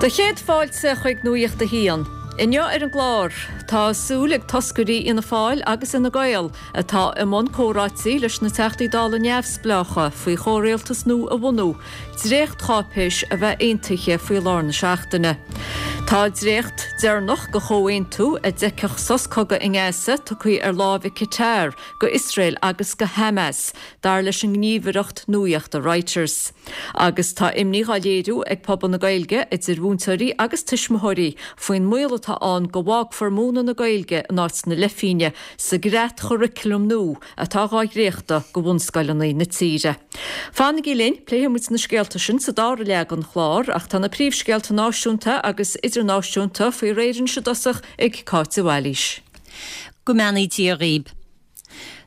Do chéad fáilte chuig Nuacht a hAon. Inniu ar an gclár, tá súil ag toscairí Fhianna Fáil agus Fhine Gael, atá i mbun comhráití leis na Teachtaí Dála neamhspleácha faoi chomhrialtas nua a bhunú, dréachtcháipéis a bheith aontaithe faoi lár na seachtaine. Tá dréacht deireanach de chomhaontú a d'fheicfeadh sos cogaidh i nGaza tugtha ar láimh ag Qatar go Iosrael agus go Hamas, dar leis an ngníomhaireacht nuachta Reuters. Agus tá imní dhá léiriú ag pobal na Gaeilge, idir mhúinteoirí agus tuismitheoirí, faoin mbaol atá ann go bhfágfar múineadh na Gaeilge in áit na leithphinge sa gcreatchuraclam nua atá dhá dhréachtadh go bhunscoileanna na tíre. Fanaigí linn, pléifidh muid na scéalta sin sa dara leath den chlár, ach tá na príomhscéalta náisiúnta agus idirnáisiúnta faoi réir anois i dtosach ag Cáit de Bhailís. Go mbeannaí Dia dhaoib.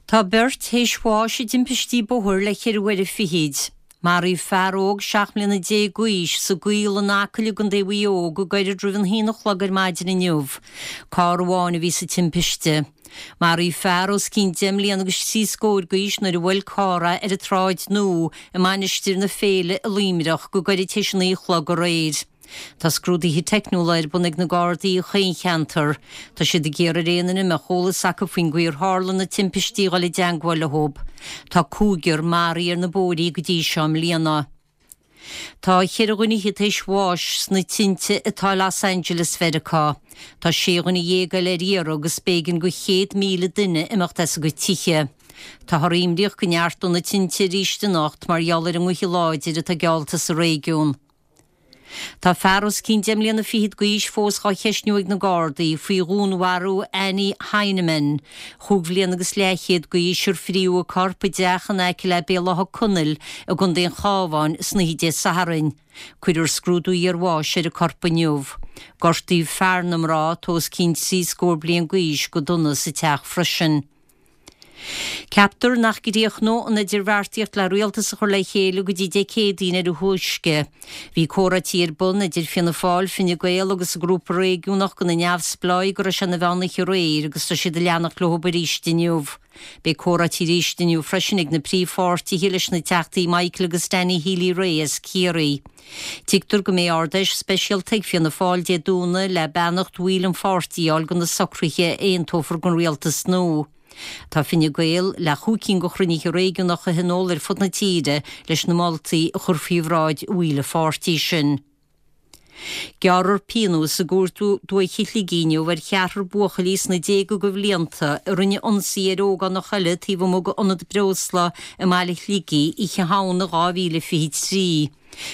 Tá beirt théis bháis i dtimpistí bóthair le cheithre huaire fichid. Maraíodh fear óg 17 mbliana d'aois sa gCaol in Acaill i gContae Mhaigh Eo go gairid roimh an haon a chlog ar maidin inniu. Carr amháin a bhí sa timpiste. Maraíodh fear os cionn deich mbliana agus trí scóir d'aois nuair a bhuail carr é ar an tSráid Nua i Mainistir na Féile i Luimneach go gairid théis a naoi a chlog aréir. Tá scrúduithe teicniúla ar bun ag na Gardaí chaon cheantar. Tá siad ag iarraidh ar aon duine a mbeadh eolas acu faoin gcaoi ar tharla na timpistí dhul i dteangmháil leo. Tá cúigear maraithe ar na bóithrí go dtí seo i mbliana. Tá cheithre dhuine tar éis bháis sna tinte atá i Los Angeles Mheiriceá. Tá sé dhuine dhéag eile ar iarraidh agus b'éigean go 100,000 duine imeacht as a gcuid tithe. Táthar imníoch go neartódh na tinte arís anocht mar gheall ar an ngaoth láidir atá geallta sa réigiún. Tá fear os cionn deich mbliana fichead d'aois fós dhá cheistniú ag na Gardaí faoi dhúnmharú Annie Heineman, chúig bhliana agus leathchéad d'aois, ar fríodh a corp i dteach in aice le Béal Átha Conaill i gContae an Chabháin san oíche Dé Sathairn. Cuirfear scrúdú iarbháis ar an corp inniu. Gortaíodh fear na mná, atá os cionn trí scór bliain d'aois, go dona sa teach freisin. Ceaptar nach gcríochnóidh an idirbheartaíocht le rialtas a chur le chéile go dtí Dé Céadaoin ar a thúisce. Bhí comhráití ar bun idir Fianna Fáil, Fine Gael agus an grúpa réigiúnach de na neamhspleáigh go raibh sé ina mheán oíche aréir agus tá siad ag leanacht leo arís inniu. Beidh comhráití arís inniu freisin ag na príomhpháirtithe leis na Teachtaí Michael agus Danny Healy-Rae as Ciarraí. Tuigtear go mbeidh Ard-Fheis speisialta ag Fianna Fáil Dé Domhnaigh le beannacht bhaill an pháirtí a fháil do na socruithe a aontófar don rialtas nua. Tá Fine Gael le chúig cinn de chruinnithe réigiúnacha a thionól ar fud na tíre leis na moltaí a chur faoi bhráid bhaill an pháirtí sin. Gearrfar pionós i gCúirt Dúiche Shligigh inniu ar cheathrar buachaillí sna déaga de bhlianta a rinne ionsaí ar ógánach eile taobh amuigh d'ionad breosla i mbaile Shligigh Oíche Shamhna 2023.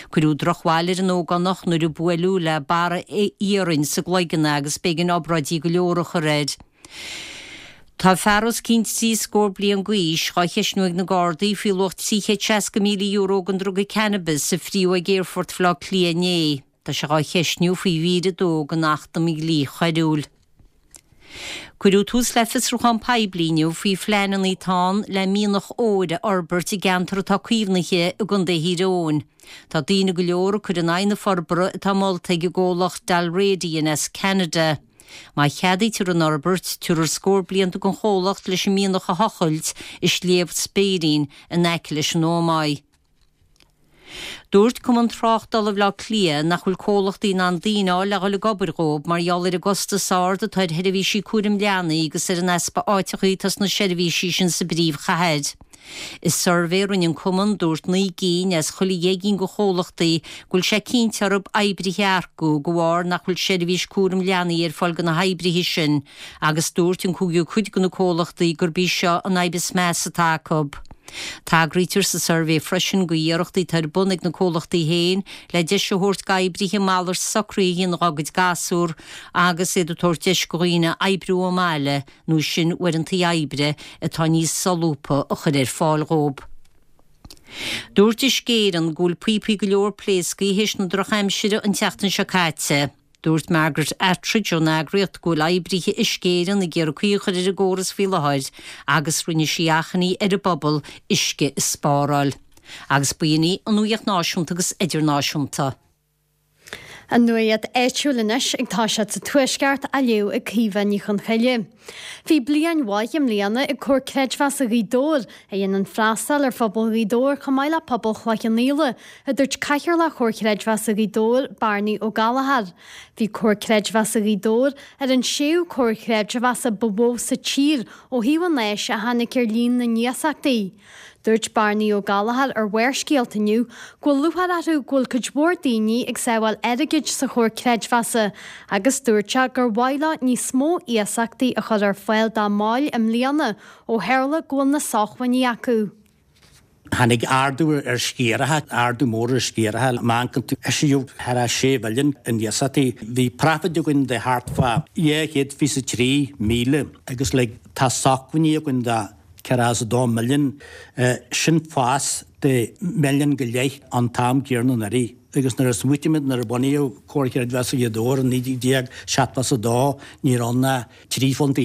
Cuireadh drochbhail ar an ógánach nuair a buaileadh le barra iarainn sa gcloigeann é agus b'éigean obráidí go leor a chur air. Tá fear os cionn trí scór bliain d'aois dhá cheistniú ag na Gardaí faoi luach €360,000 den druga cannabis a fríodh ag Aerfort Bhaile Átha Cliath inné. Tá sé dhá cheistniú faoi mhír 2 den Acht um Dhlí Choiriúil. Cuireadh tús le fiosrúchán poiblí inniu faoi phleananna atá ann le mianach óir a fhorbairt i gceantar atá caomhnaithe i gContae Thír Eoghain. Tá daoine go leor ag cur in aghaidh na forbartha atá molta ag an gcomhlacht Dalradian as Ceanada. Má cheadaítear an fhorbairt, tabharfar scór blianta don chomhlacht leis an mianach a thochailt i Sliabh Speirín in aice leis an Ómaigh. Dúirt Cumann Tráchtála Bhaile Átha Cliath nach bhfuil comhlachtaí in ann daoine a fháil le dhul ag obair dhóibh mar gheall ar an gcostas ard atá ar sheirbhísí cúraim leanaí agus ar an easpa áiteachaí atá sna seirbhísí sin sa bpríomhchathair. I suirbhé a rinne an cumann, dúirt 9 gcinn as chuile dheich gcinn de chomhlachtaí go bhfuil sé cinnte orthu oibrithe a earcú de bharr nach bhfuil seirbhís cúraim leanaí ar fáil do na hoibrithe sin agus dúirt an cúigiú cuid de na comhlachtaí gurb í seo an fhadhb is measa atá acu. Tagraítear sa suirbhé freisin go iarrachtaí atá ar bun ag na comhlachtaí féin le deis a thabhairt d'oibrithe malairt socruithe a dhéanamh dá gcuid gasúr agus iad ag tabhairt deis do dhaoine oibriú ón mbaile nó sin uaireantaí oibre atá níos solúbtha a chur ar fáil dhóibh. Dúirt Uisce Éireann go bhfuil píopaí go leor pléasctha théis na drochaimsire an tseachtain seo caite. Dúirt Margaret Attridge ón eagraíocht go bhfuil oibrithe Uisce Éireann ag iarraidh caoi a chur ar an gcóras faoi láthair agus rinne sí achainí ar an bpobal uisce a spáráil. Agus b'in í an nuacht náisiúnta agus idirnáisiúnta. An nuacht áitiúil anois ag toiseacht sa Tuaisceart á léamh ag Caoimhe Ní Chonchoille. Bhí bliain mhaith i mbliana ag Comhar Creidmheasa Ghaoth Dobhair, a dhéanann freastal ar phobal Ghaoth Dobhair chomh maith le pobal Chloich Cheann Fhaola, a dúirt Cathaoirleach Chomhar Creidmheasa Ghaoth Dobhair, Barney Ó Gallchóir. Bhí Comhar Creidmheasa Ghaoth Dobhair ar an séú comhar creidmheasa ba mhó sa tír ó thaobh an fháis a tháinig ar líon na n-iasachtaí. Dúirt Barney Ó Gallchóir ar Bharrscéalta inniu go bhfuil lúcháir orthu go bhfuil cuid mhór daoine ag sábháil airgid sa chomhar creidmheasa agus dúirt sé gur mhaith leo níos mó iasachtaí a chur ar fáil dá mbaill i mbliana ó tharla go bhfuil na sócmhainní acu. Tháinig ardú ar sciaracha, ardú mór ar sciaracha. Má amharcann tú, eisíodh thar a 6 mhilliún in iasachtaí. Bhí profit againn de thart fá 223,000 agus like tá sócmhainní againn de 42 milliún. Sin fás de mhilliún go leith an t-am céanna anuraidh. Agus nuair a smaoitímid nuair a bunaíodh Comhar Creidmheasa Ghaoth Dobhair in 1972 ní raibh ann ach £13 punt.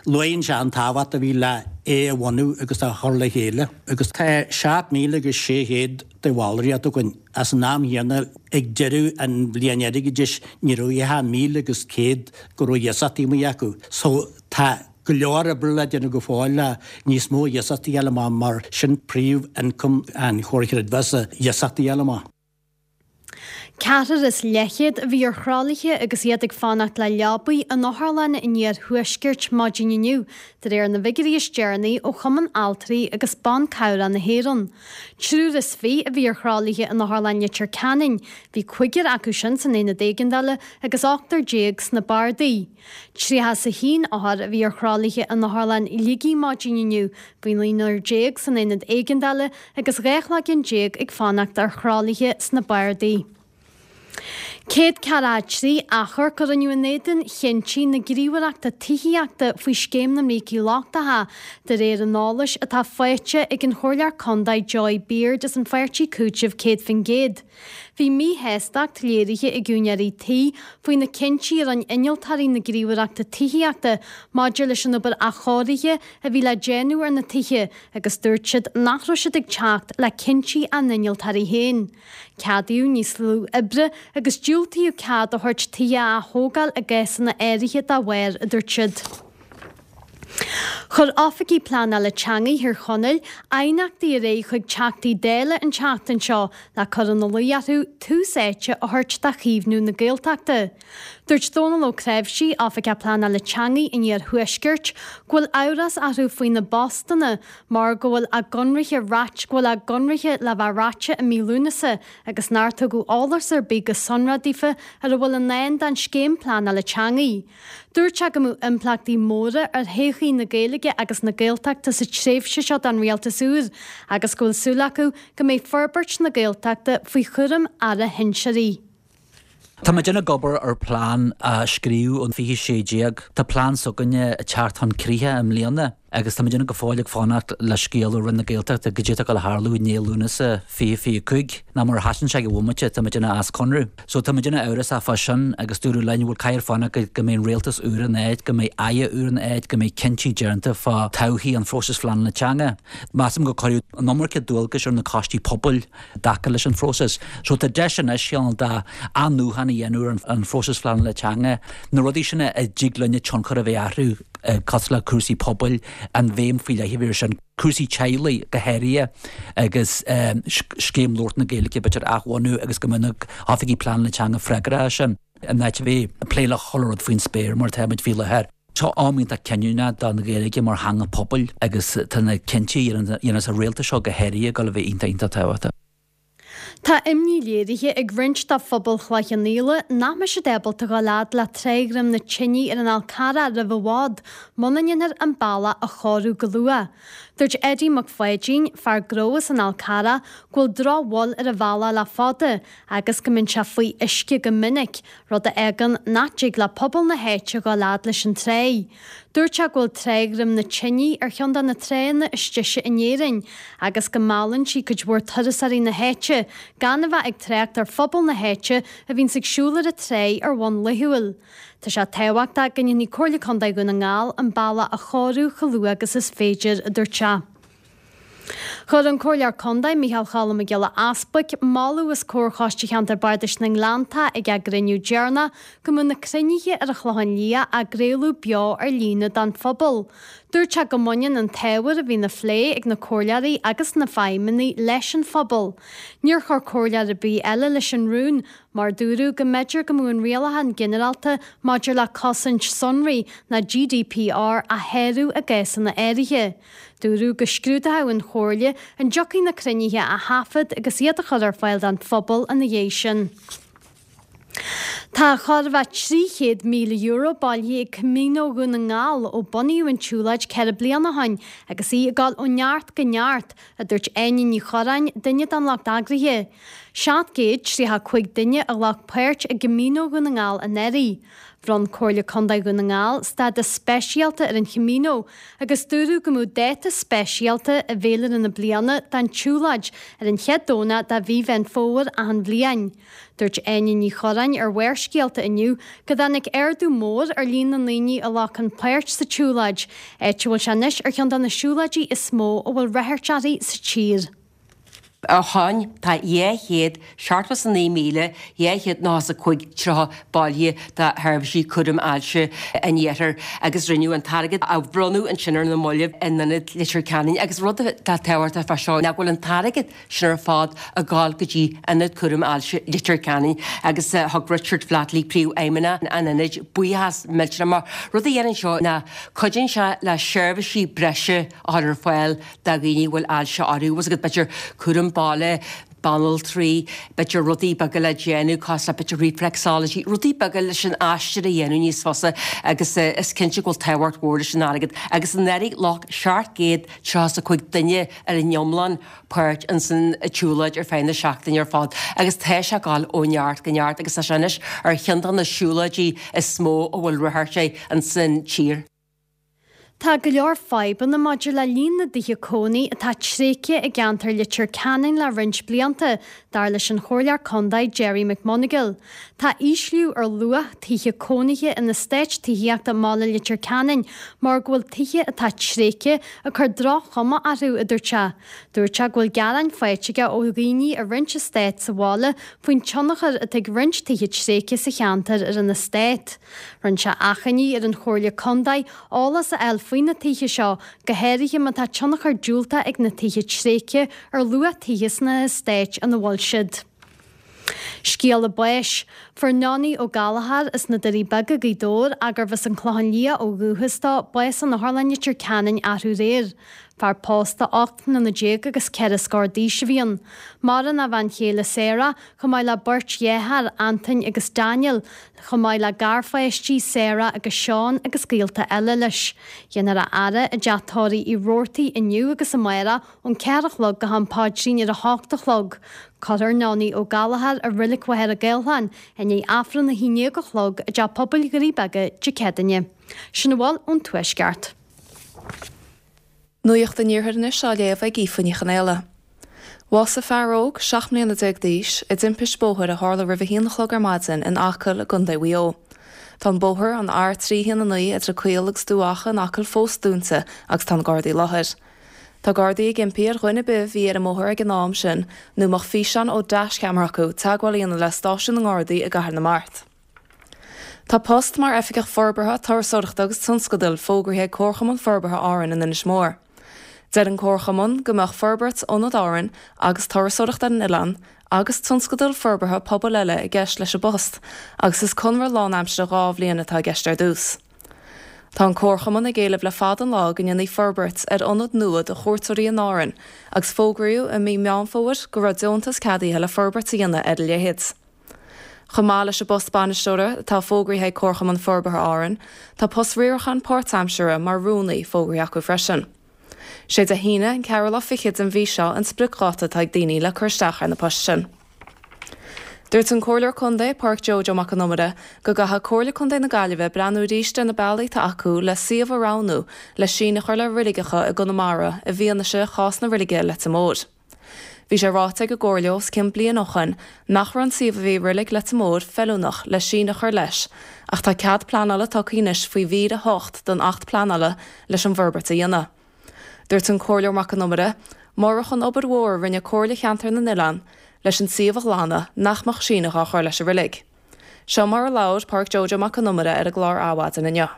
Luaíonn sé an tábhacht a bhí le é a bhunú agus a chur le chéile. Agus tá 7,600 de bhallraíocht againn. As an am chéanna ag deireadh an bhliain airgeadais ní raibh ach 1,100 go raibh iasachtaí amuigh acu. So tá go leor oibre le déanamh go fóill le níos mó iasachtaí a fháil amach mar sin príomh ioncam an Chomhair Chreidmheasa, iasachtaí a fháil amach. Ceathrar is leathchéad a bhí ar thralaithe agus iad ag fanacht le leabaí in otharlanna an iarthuaiscirt maidin inniu, de réir na bhfigiúirí is deireanaí ó Chumann Altraí agus Ban Cabhrach na hÉireann. Triúr is fiche a bhí ar thralaithe in Otharlann Leitir Ceanainn, bhí cúigear acu sin san aonad éigeandála agus ochtar déag sna bardaí. 31 othar a bhí ar thralaithe in Otharlann Shligigh maidin inniu, bhí naonúr déag san aonad éigeandála agus 12 chloigeann ag fanacht ar thralaithe sna bardaí. 143 achomharc a rinneadh in éadan chinntí na Gníomhaireachta Tithíochta faoi Scéim na mBrící Lochtacha, de réir an eolais atá faighte ag an Chomhairleoir Contae Joy Beard as an pháirtí Cúiteamh 100%. Bhí míshástacht léirithe ag úinéirí tí faoi na cinntí a rinne innealtóirí na Gníomhaireachta Tithíochta maidir leis an obair athchóirithe a bhí le déanamh ar na tithe agus dúirt siad nach raibh siad ag teacht le cinntí a n-innealtóirí féin. Ceadaíodh níos lú oibre agus diúltaíodh cead a thabhairt tithe a ath-thógáil i gcásanna áirithe dá bharr, a dúirt siad. Chuir Oifigigh Pleanála Teanga Thír Chonaill aighneachtaí ar aghaidh chuig Teachtaí Dála an tseachtain seo le cur ina luí orthu tús áite a thabhairt do chaomhnú na Gaeltachta. Dúirt Dónal Ó Cnáimhsí, Oifigeach Pleanála Teanga an Iarthuaiscirt, go bhfuil amhras orthu faoi na bpostanna mar go bhfuil a gconraithe go bhfuil a gconraithe le bheith reaite i mí Lúnasa agus nár tugadh eolas ar bith go sonrath daofa ar a bhfuil i ndán don scéim pleanála teanga. Dúirt sé go mbeadh impleachtaí móra ar thodhchaí na Gaeilge agus na Gaeltachta sa tréimhse seo don rialtas úr agus go bhfuil súil acu go mbeidh forbairt na Gaeltachta faoi chúram Aire shinsearaigh. Tá muid ag obair ar plean a scríobhadh in 2016. Tá plean s'againne ag teacht chun críche i mbliana. Agus tá muidinne go fóill ag fanacht le scéal ó Roinn na Gaeltachta goidé atá ag dul a tharlú i ndiaidh Lúnasa 2025, ná mura sheasann sé ag an bhomaite tá muidinne as conradh. So tá muidinne amhrasach fá sin agus dúradh linn, bhuel caithfear fanacht go go mbeidh an rialtas úr in áit, go mbeidh aire úr in áit, go mbeidh cinntí déanta fá todhchaí an phróisis phleanála teanga. Measaim gur cuireadh an iomarca dualgais ar na coistí pobail i dtaca leis an phróiseas. So tá deis anois cineál de athnuachan a dhéanamh ar an phróiseas phleanála teanga, na rudaí sin a dtig linne tionchar a bheith orthu, cosúil le cúrsaí pobail, an bhéim faoi leith a bheith air sin, cúrsaí teaghlaigh go háirithe agus scéim labhairt na Gaeilge b'fhéidir a athbhunú agus go mbeadh na hoifigigh pleanála teanga freagrach as sin in áit a bheith ag plé le chuile rud faoin spéir mar atá muid faoi láthair. Seo am iontach cinniúnach don Ghaeilge mar theanga pobail agus tá na cinntí a dhéanfas an rialtas seo go háirithe ag dul a bheith iontach iontach tábhachtach. Tá imní léirithe ag roinnt de phobal Chloich Cheann Fhaola nach mbeidh siad ábalta dhul fhad le Trá Dhroim na Tine ar an Fhál Carrach roimh i bhfad muna ndéanfar an bealach a chóiriú go luath. Dúirt Eddie Mac Pháidín, fear gnó as an Fhál Carrach, go bhfuil drochbhail ar an bhealach le fada agus go mbíonn sé faoi uisce go minic, rud a fhágann nach dtig le pobal na háite dhul fhad leis an tráigh. Dúirt sé go bhfuil Trá Dhroim na Tine ar cheann de na tránna is deise in Éirinn agus go meallann sí cuid mhór turasóirí na háite, gan a bheith ag trácht ar phobal na háite a bhíonns ag siúl ar an tráigh ar bhonn laethúil. Tá sé tábhachtach go ndéanfaidh Comhairle Contae Dhún na nGall an bealach a chóiriú chomh luath agus is féidir, a dúirt sé. Chuir an Comhairleoir Contae, Micheál Choilm Mac Giolla Easbuic, moladh os comhair Choiste Cheantar Bardais na nGleanntach ag a gcruinniú deireanach go mbeadh na cruinnithe ar an Chlochán Liath á gcraoladh beo ar líne don phobal. Dúirt sé go mbaineann an t-ábhar a bhíonn á phlé ag na comhairleoirí agus na feidhmeannaigh leis an phobal. Níor chuir comhairleoir ar bith eile leis an rún mar dúradh go mb'fhéidir go mbeadh an Rialachán Ginearálta maidir le Cosaint Sonraí, nó GDPR, á shárú i gcásanna áirithe. Dúradh go scrúdódh an Chomhairle an dtiocfaidh na cruinnithe a thaifead agus iad a chur ar fáil don phobal ina dhiaidh sin. Tá chóir a bheith €300,000 bailithe ag Camino Dhún na nGall ó bunaíodh an tsiúlóid 4 bliana ó shin agus í ag dul ó neart go neart, a dúirt Áine Ní Churráin, duine den lucht eagraithe. 735 duine a ghlac páirt i gCamino Dhún na nGall anuraidh. Bhronn Comhairle Contae Dhún na nGall stádas speisialta ar an Chamino agus dúradh go mbeadh dáta speisialta i bhféilire na bliana don tsiúlóid ar an chéad Domhnach de mhí Mheán Fómhair achan bhliain. Dúirt Áine Ní Churráin ar Bharrscéalta inniu go dtáinig ardú mór ar líon na ndaoine a ghlacann páirt sa tsiúlóid, áit a bhfuil sé anois ar cheann de na siúlóidí is mó a bhfuil ráchairt uirthi sa tír. Ó shoin tá 279,295 bailithe do sheirbhísí cúraim ailse an Iarthair agus rinneadh an t-airgead a bhronnadh ansin ar na mallaibh in Ionad Leitir Ceanainn agus rud atá tábhachtach fá seo ná go bhfuil an t-airgead sin ar fad ag gabháil go dtí Ionad Cúraim Ailse Leitir Ceanainn agus thug Richard Flatley, Príomhfheidhmeannach an Ionaid, buíochas millteanach mar rud a dhéanann seo ná cuidíonn sé le seirbhísí breise a chur ar fáil do dhaoine a bhfuil ailse orthu, bhfuil a fhios agat, b'fhéidir cúram baile, banaltraí, b'fhéidir rudaí beaga le déanamh, cosúil le b'fhéidir reflexology, rudaí beaga leis an aistear a dhéanamh níos fusa agus is cinnte go bhfuil tábhacht mhór leis an airgead. Agus anuraidh ghlac 735 duine ar an iomlán páirt ins an tsiúlóid ar feadh na seachtaine ar fad agus tá sé ag dul ó neart go neart agus tá sé anois ar cheann de na siúlóidí is mó a bhfuil ráchairt air ins an tír. Tá go leor fadhbanna maidir le líon na dtithe cónaí atá tréigthe i gceantar Leitir Ceanainn le roinnt blianta, dar leis an Chomhairleoir Contae Gerry McMonagall. Tá ísliú ar luach tithe cónaithe in eastáit tithíochta i mbaile Leitir Ceanainn mar go bhfuil tithe atá tréigthe ag cur droch-chuma orthu, a dúirt sé. Dúirt sé go bhfuil gearáin faighte aige ó dhaoine i roinnt eastát sa bhaile faoin tionchar atá ag roinnt tithe tréigthe sa cheantar ar an eastát. Rinne sé achainí ar an Chomhairle Contae eolas a fháil faoi na tithe seo, go háirithe má tá tionchar diúltach ag na tithe tréigthe ar luach tithe sna heastáit ina bhfuil siad. Scéala báis. Fuair Nonie Ó Gallchóir as na Doirí Beaga, Gaoth Dobhair, ach gurbh as an Clochán Liath ó dhúchas dó, bás in Otharlann Leitir Ceanainn arú aréir. Fear pósta 18 mbliana agus ceithre scór d'aois a bhí ann. Maireann a bhean chéile Sarah, chomh maith le beirt dhearthár, Antain agus Daniel, chomh maith le garpháistí, Sarah agus Seán agus gaolta eile leis. Déanfar a fhaire i dteach tórraimh Uí Robhartaigh inniu agus amárach ón 4 a chlog go ham paidrín ar a hocht a chlog. Cuirfear Nonie Ó Gallchóir i Reilig Mhachaire Gathlán i ndiaidh Aifreann a haon déag a chlog i dTeach Pobail Dhoirí Beaga Dé Céadaoine. Sin a bhfuil ón Tuaisceart. Nuacht an Iarthair anois á léamh ag Aoife Ní Chonaola. Bhásaigh fear óg, 17 mbliana d'aois, i dtimpist bóthair a tharla roimh a haon a chlog ar maidin in Acaill i gContae Mhaigh Eo. Tá an bóthar, an R319 idir Caol agus Dubh Acha in Acaill fós dúnta agus tá na Gardaí i láthair. Tá Gardaí ag impí ar dhuine ar bith a bhí ar an mbóthar ag an am sin nó a mbeadh físeán ó dash-cheamara acu teagmháil a dhéanamh le stáisiún na nGardaí i gCathair na Mart. Tá post mar Oifigeach Forbartha, Turasóireachta agus Tionscadail fógraithe ag Comharchumann Forbartha Árann in Inis Mór. Deir an Comharchumann go mbeadh forbairt Ionad Árann agus turasóireacht ar an oileán agus tionscadail forbartha pobail eile i gceist leis an bpost agus is conradh lánaimsire 2 bhliain atá i gceist ar dtús. Tá an Comharchumann ag éileamh le fada an lá go ndéanfaí forbairt ar ionad nua do chuairteoirí in Árainn agus fógraíodh i mí Meán Fómhair go raibh deontas ceadaithe le forbairt a dhéanamh ar a leithéid. Chomh maith leis an bpost bainisteora atá fógraithe ag Comharchumann Forbartha Árann, tá post riaracháin páirtaimseartha mar rúnaí fógraithe acu freisin. Sé Dé hAoine an ceathrú lá fichead den mhí seo an spriocdháta atá ag daoine le cur isteach ar na poist sin. Dúirt an Comhairleoir Contae, Pádraic Joe Joe Mac Con Iomaire, go gcaithfidh Comhairle Contae na Gaillimhe breathnú arís ar na bealaí atá acu le suíomh a roghnú le síneadh a chur le reiligeacha i gConamara i bhfianaise chás na reilige i Leitir Móir. Bhí sé ráite ag an gComhairle os cionn bliain ó shoin nach raibh an suíomh a bhí i reilig Leitir Móir feiliúnach le síneadh a chur leis ach tá cead pleanála tugtha anois faoi mhír 8 den Acht Pleanála leis an bhforbairt a dhéanamh. Dúirt an Comhairleoir Mac Con Iomaire. murach an obair mhór a rinne Comhairle Cheantar na nOileán leis an suíomh a ghlanadh, nach mbeadh síneadh á chur leis an reilig. Seo mar a labhair Pádraic Joe Joe Mac Con Iomaire ar an gclár Adhmhaidin inniu.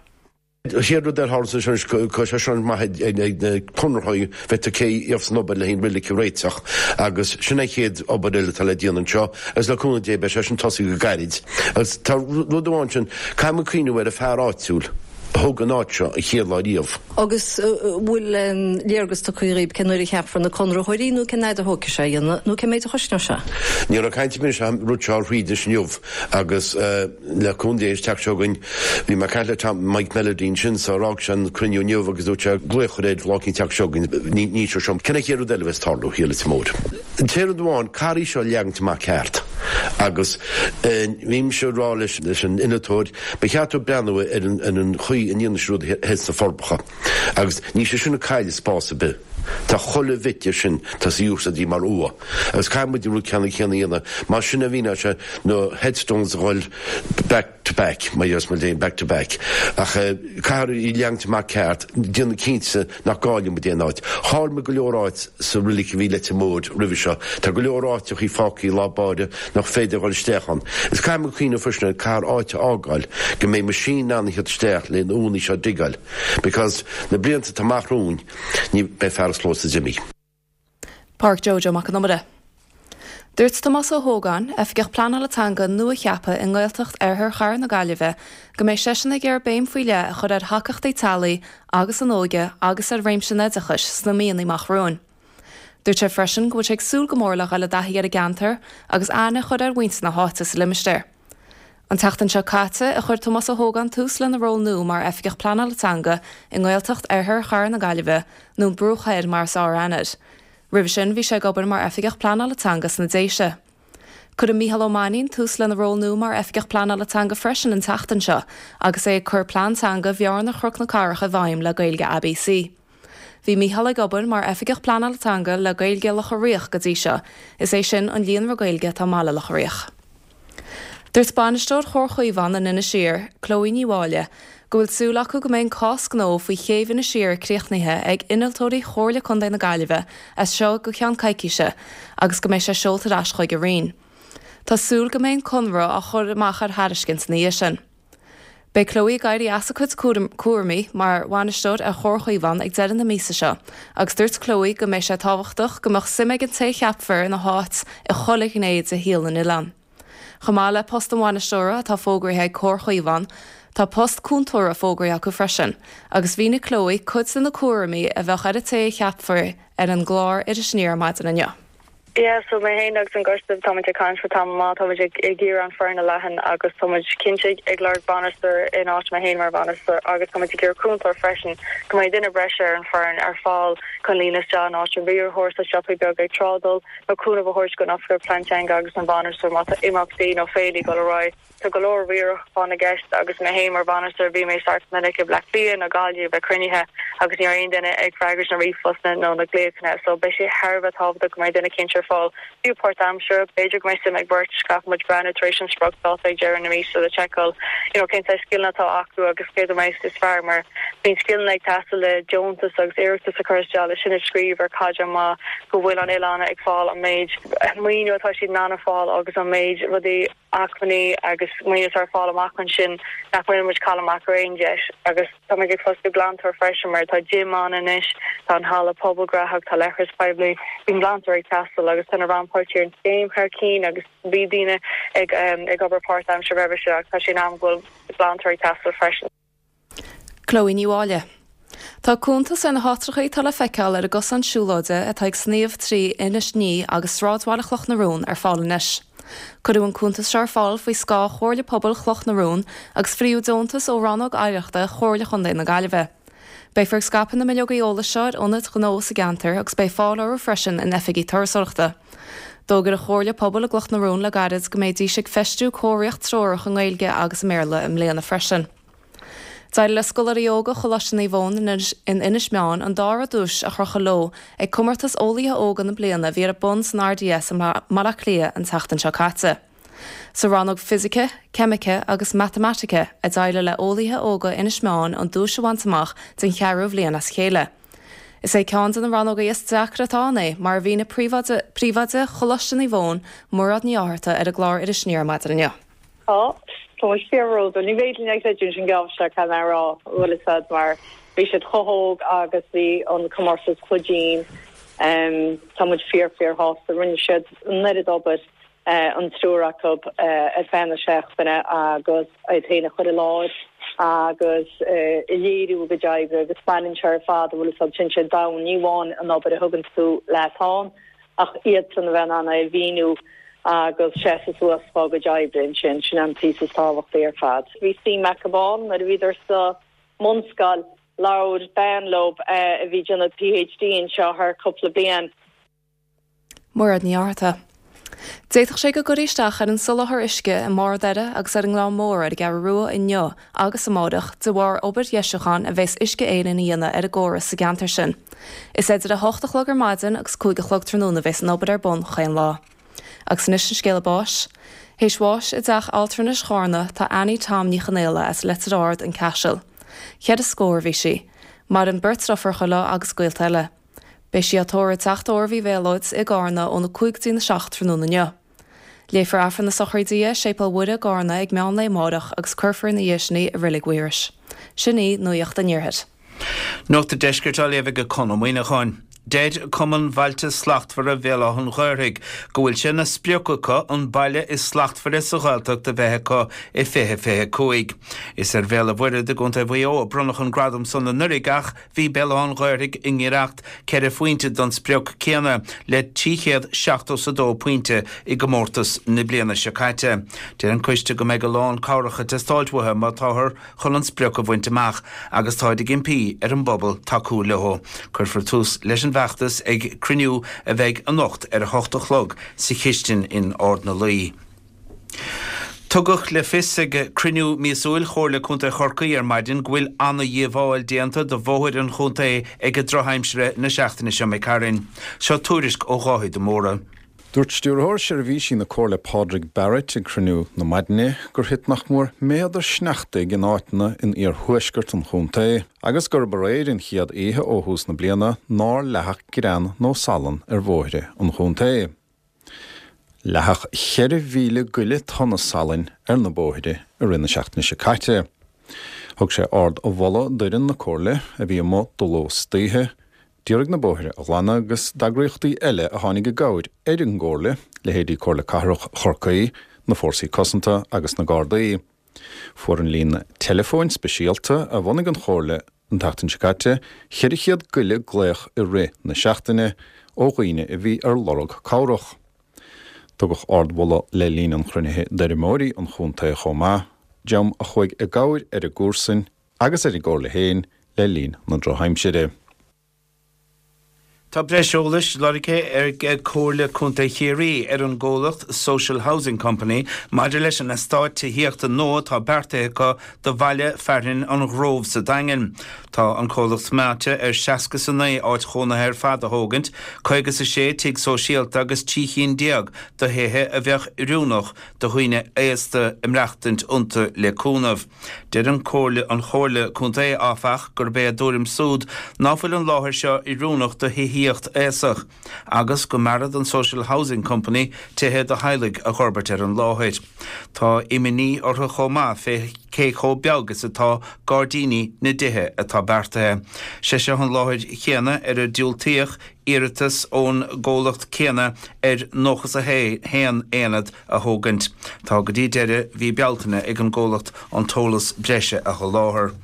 An chéad rud eile a tharla anois, tá sé seo maith ag na conraitheoirí bheith cé dhéanfas an obair le an reilig a réiteach agus sin an chéad obair eile atá le déanamh anseo agus le cúnamh Dé beidh sé sin tosaithe go gairid. Agus tá rud amháin sin, caithfidh muid cuimhneamh ar an fear áitiúil a thóg an áit seo an chéad lá riamh. Agus bhfuil léargas tugtha dhaoib cén uair a cheapfar na conraitheoirí nó cén fhaid a thógfaidh sé a dhéanamh nó cé méid a chosnóidh sé? Ní raibh caint ar bith anois an rud seo a throid anois inniu agus le cúnamh Dé an tseachtain seo chugainn bhí mé ag caint le Tom Mike Melody ansin so d'fhág sé an cruinniú inniu agus dúirt sé glaoch air lá éicint an tseachtain seo chugainn ní seo seo cén chéad rud eile a bheas ag tarlú thiar Leitir Móir. An t-aon rud amháin caithfear í seo a leagaint amach ceart agus bhí mise ag rá leis an innealtóir Ba cheart dó breathnú ar an chaoi a ndéanann siad rudaí thoir sna Forbacha agus níl sé sin ag cailleadh spás ar bith. Tá chuile bhit de sin tá sa úsáid mar uaigh agus caithfidh muid an rud ceannann céanna a dhéanamh. Mar sin a bhíonn sé na headstones a dhul back to back, mar dheas muid féin back to back. Ach caithfear í leagaint amach ceart, déanamh cinnte nach gcailleann muid aon áit. Chaill muid go leor áit sa roilig a bhí Leitir Móir roimhe seo. Tá go leor áiteachaí fágtha i lár báire nach féidir a dhul isteach ann. Is caithfidh muid cuimhneamh freisin ar caithfear áit a fhágáil go mbeidh machine in ann a theacht isteach le na uaigheanna seo a digeáil because na blianta atá amach romhainn ní beidh fear an chlóis d'imigh. Pádraic Joe Joe Mac Con Iomaire. Dúirt Tomás Ó hÓgáin, Oifigeach Pleanála Teanga nua-cheaptha i nGaeltacht Oirthear Chathair na Gaillimhe, go mbeidh seisean ag iarraidh béim faoi leith a chur ar thacaíochtaí teaghlaigh agus an óige agus ar réimse an oideachais sna míonna amach romhainn. Dúirt sé freisin go bhfuil sé ag súil go mór le dhul i dtaithí ar an gceantar agus aithne a chur ar mhuintir na háite sa limistéar. An tseachtain seo caite a chuir Tomás Ó hÓgáin tús lena ról nua mar Oifigeach Pleanála Teanga i nGaeltacht Oirthear Chathair na Gaillimhe, nó an Bruach Thoir mar is fearr aithne air. Roimhe sin bhí sé ag obair mar Oifigeach Pleanála Teanga sna Déise. Cuirfidh Mícheál Ó Mainnín tús lena ról nua mar Oifigeach Pleanála Teanga freisin an tseachtain seo agus é ag cur Plean Teanga Bhearna Chnoc na Cathrach i bhfeidhm le Gaeilge ABC. Bhí Mícheál ag obair mar Oifigeach Pleanála Teanga le Gaeilge Locha Riach go dtí seo, is é sin an líonra Gaeilge atá i mBaile Locha Riach. Dúirt bainisteoir Chomhar Chaomhán in Inis Oírr, Chloe Ní Mháille, go bhfuil súil acu go mbeidh an cás gnó faoi chéibh Inis Oírr críochnaithe ag innealtóirí Chomhairle Contae na Gaillimhe as seo go ceann coicíse agus go mbeidh sé seolta ar ais chuig an Roinn. Tá súil go mbeidh an conradh á chur amach ar thairiscint ina dhiaidh sin. Beidh Chloe ag éirí as a cuid cúraimí mar bhainisteoir ar Chomhar Chaomhán ag deireadh na míosa seo agus dúirt Chloe go mbeidh sé tábhachtach go mbeadh suim ag an té a cheapfar ina háit i chuile ghné de shaol an oileáin. Chomh maith le post an bhainisteora atá fógraithe ag Comhar Chaomhán, tá post cúntóra fógraithe acu freisin agus mhínigh Chloe cuid de na cúraimí a bheadh ar an té a cheapfar ar an gclár Iris Aniar ar maidin inniu. Yeah, so mé féin agus an coiste, táimid ag caint le tamall maith, táimid ag ag iarraidh an foireann a leathan agus táimid cinnte ag lorg bainisteoir in áit mé féin mar bhainisteoir agus táimid ag iarraidh cúntóir freisin, go mbeidh duine breise ar an foireann ar fáil chun líonadh isteach in áit an riarthóir sa siopaí beaga ag trádáil nó cúnamh a thabhairt don oifigeach plean teanga agus an bhainisteoir má tá imeachtaí nó féilí ag dul ar aghaidh. Tá go leor riaracháin i gceist agus mé féin mar bhainisteoir bhí mé sách minic i Bleá Cliath nó Gaillimh ag cruinnithe agus ní raibh aon duine ag freagairt na ríomhphostanna nó na glaochanna so beidh sé thar a bheith tábhachtach go mbeidh duine cinnte ar fáil, fiú páirtaimseartha. B'fhéidir go mbeidh suim ag beirt, caithfidh muid breathnú tar éis an spriocdháta ag deireadh na míosa le seiceáil you know cén saghas scileanna atá acu agus cé a mbeidh is fearr mar bíonn scileanna ag teastáil le deontas agus iarratas a chur isteach le sin a scríobh ar caighdeán maith go bhfuil an oileán ag fáil an méid maoiniú atá siad in ann a fáil agus an méid rudaí acmhainní agus maoiniú atá ar fáil amach ansin nach bhfuil muid cailleadh amach ar aon deis agus tá muid ag fostú glantóir freisin mar tá gym ann anois, tá an halla pobail gnóthach, tá leithreas poiblí, bíonn glantóir ag teastáil agus tá na rannpháirtithe ar an scéim thar cinn agus bhí daoine ag ag obair páirtaimseartha roimhe seo ach tá sé in am go bhfuil glantóir ag teastáil freisin. Chloe Ní Mháille. Tá cuntas ar na háitreacha atá le feiceáil ar an gcosán siúlóide atá ag sníomh trí Inis Ní agus sráidbhaile Chloch na Rón ar fáil anois. Cuireadh an cuntas seo ar fáil faoi scáth Chomhairle Pobail Chloch na Rón agus fríodh deontas ó Rannóg Oidhreachta Chomhairle Chontae na Gaillimhe. Beifear ag scaipeadh na mbileogaí eolais seo ar ionaid ghnó sa gceantar agus beidh fáil orthu freisin in oifigí turasóireachta. D'fhógair an Chomhairle Pobail i gCloch na Rón le gairid go mbeidís ag feistiú comharthaíocht treorach i nGaeilge agus i mBéarla i mbliana freisin. D'éirigh le scoláirí óga Choláiste Naomh Eoin in Inis Meáin an dara duais a chrochadh leo ag Comórtas Eolaithe Óga na bliana a bhí ar bun san RDS i mBaile Átha Cliath an tseachtain seo caite. Sa rannóg Fisice, Ceimice agus Matamaitice a d'éirigh le eolaithe óga Inis Meáin an duais a bhaint amach den cheathrú bhliain as a chéile. Is é ceann de na rannóga is deacra atá ann é, mar a mhínigh Príomhoide Choláiste Naomh Eoin, Mairéad Ní Fhátharta, ar an gclár Iris Aniar ar maidin inniu. Tá. Tá muid fíorbhródúil. Ní féidir linn a chreidiúint an geábh seo, caithfidh mé a rá, bhfuil fhios a'd, mar bhí siad chomh hóg agus bhí an comórtas chomh dian. Tá muid fíor, fíor shásta. Rinne siad an oiread obair, an triúr acu, ar feadh na seachtaine agus iad féin a chur i láthair agus a léiriú a gcuid oibre agus baineann sé ar fad, bhfuil fhios a'd, téann sé domhain, ní amháin an obair a thugann tú leat ann, Ach iadsan a bheith in ann é a mhíniú agus seasamh suas fá gcuid oibre ansin, sin an píosa is tábhachtaí ar fad. Bhí suim acu ann nuair a bhíodar sa mbunscoil. Labhair bean leo a bhí ag déanamh PhD anseo thar cúpla bliain. Mairéad Ní Fhátharta. D'fhéadfadh sé go gcuirfí isteach ar an soláthar uisce i mBarr Doire agus ar an nGleann Mór ar an gCeathrú Rua inniu agus amáireach de bharr obair dheisiúcháin a bheas Uisce Éireann a dhéanamh ar an gcóras sa gceantar sin. Is idir 8 a chlog ar maidin agus 5 a chlog tráthnóna a bheas an obair ar bun chaon lá. Agus anois an scéala báis. Théis bháis i dteach altranais Chárna tá Annie Tom Ní Chonaola as Leitir Ard, An Caiseal. Cheithre scór a bhí sí. Maireann beirt deirfiúracha léi agus gaolta eile. Beidh sí á tórramh i dTeach Tórraimh Uí Mhéalóid i gCárna óna 5 go dtí na 7 tráthnóna inniu. Léifear Aifreann na sochraide di i Séipéal Mhuire i gCárna ag meán lae amáireach agus cuirfear ina dhiaidh sin í i Reilig Mhaorais. Sin í Nuacht an Iarthair. Nuacht an Deiscirt á léamh ag Conn Ó Muíneacháin. Deir Cumann Bhailte Slachtmhara Bhéal Átha an Ghaorthaidh go bhfuil sé ina sprioc acu an baile is slachtmhaire sa Ghaeltacht a bheith acu i 2025. Is ar Bhéal an Mhuirthead i gContae Mhaigh Eo a bronnadh an gradam san anuraidh ach Bhí Béal Átha an Ghaorthaidh i ngiorracht ceithre phointe don sprioc céanna le 372 pointe i gcomórtas na bliana seo caite. Deir an coiste go mbeidh a lán cabhrach ag teastáilt uathu má táthar chun an sprioc a bhaint amach agus táid ag impí ar an bpobal tacú leo. Cuirfear tús leis an bhfeachtas ag cruinniú a bheidh anocht ar a hocht a chlog sa chistin in Ard na Laoi. Tugadh le fios ag cruinniú míosúil Chomhairle Contae Chorcaí ar maidin go bhfuil ana-dhíobháil déanta do bhóithre an chontae ag an drochaimsire na seachtaine seo imigh tharainn. Seo tuairisc ó Dháithí de Mórdha. Dúirt Stiúrthóir Seirbhísí na Comhairle Pádraig Barrett ag cruinniú na maidine gur thit nach mór méadar sneachtaidh in áiteanna in iarthuaisceart an chontae agus gurb aréir an chéad oíche ó thús na bliana nár leathadh grean nó salann ar bhóithre an chontae. Leathadh 4,000 goile tonna salainn ar na bóithre i rith na seachtaine seo caite. Thug sé ard-mholadh d'fhoireann na Comhairle, a bhí amuigh de ló 's d'oíche, d'iarraidh na bóithre a ghlanadh agus d'eagraíochtaí eile a tháinig i gcabhair ar an gComhairle, leithéidí Comhairle Cathrach Chorcaí, na Fórsaí Cosanta agus na Gardaí. Fuair an líne teileafóin speisialta a bhunaigh an Chomhairle an tseachtain seo caite 400 goile glaoch i rith na seachtaine ó dhaoine a bhí ar lorg cabhrach. Tugadh ardmholadh le linn an chruinnithe d'fheirmeoirí an chontae chomh maith, dream a chuaigh i gcabhair ar a gcomharsain agus ar an gComhairle féin le linn na drochaimsire. Tá breis eolais lorgtha ag Comhairle Contae Chiarraí ar an gcomhlacht Social Housing Company maidir leis an eastát tithíochta nua atá beartaithe acu do bhaile fearainn an Ghrove sa Daingean. Tá an comhlacht meáite ar 69 áit chónaithe ar fad a thógaint, 56 tigh sóisialta agus 13 chinn de thithe a bheadh oiriúnach do dhaoine aosta a maireachtaint iontu le cúnamh. Deir an Comhairle an Chomhairle Contae, áfach, gurb é a dtuairim súd ná fuil an láthair seo oiriúnach do thithíocht aosach agus go mb'fhearra don Social Housing Company tithe do theaghlaigh a dh'fhorbairt ar an láthair. Tá imní orthu chomh maith fé cé chomh beag is atá gairdíní na dtithe atá beartaithe. Sé seo an láthair chéanna ar a diúltaíodh iarratas ón gcomhlacht céanna ar 91 aonad a thógaint. Tá go dtí deireadh mhí Bealtaine ag an gcomhlacht an t-eolas breise a sholáthar.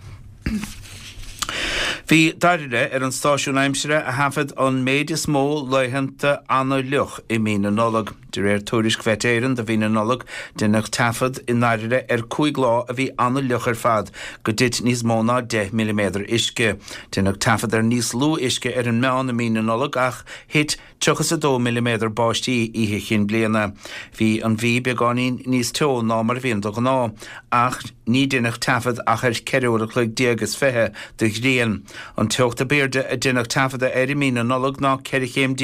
Bhí Doire ar an stáisiún aimsire a thaifead an méid is mó laethanta an-fhliuch i mí na Nollag. De réir tuairisc Mhet Éireann do mhí na Nollag, deineadh taifead i nDoire ar 5 lá a bhí an-fhliuch ar fad, go dtit níos mó ná 10 milliméadar uisce. Deineadh taifead ar níos lú uisce ar an meán i mí na Nollag ach thit 32 milliméadar báistí Oíche Chinn Bliana. Bhí an mhí beagáinín níos teo ná mar a bhíonn de ghnáth, ach ní deineadh taifead ach ar cheithre uair a chloig déag is 20 de ghrian. An teocht ab aoirde a deineadh taifeadadh air i mí na Nollag ná 14 chéim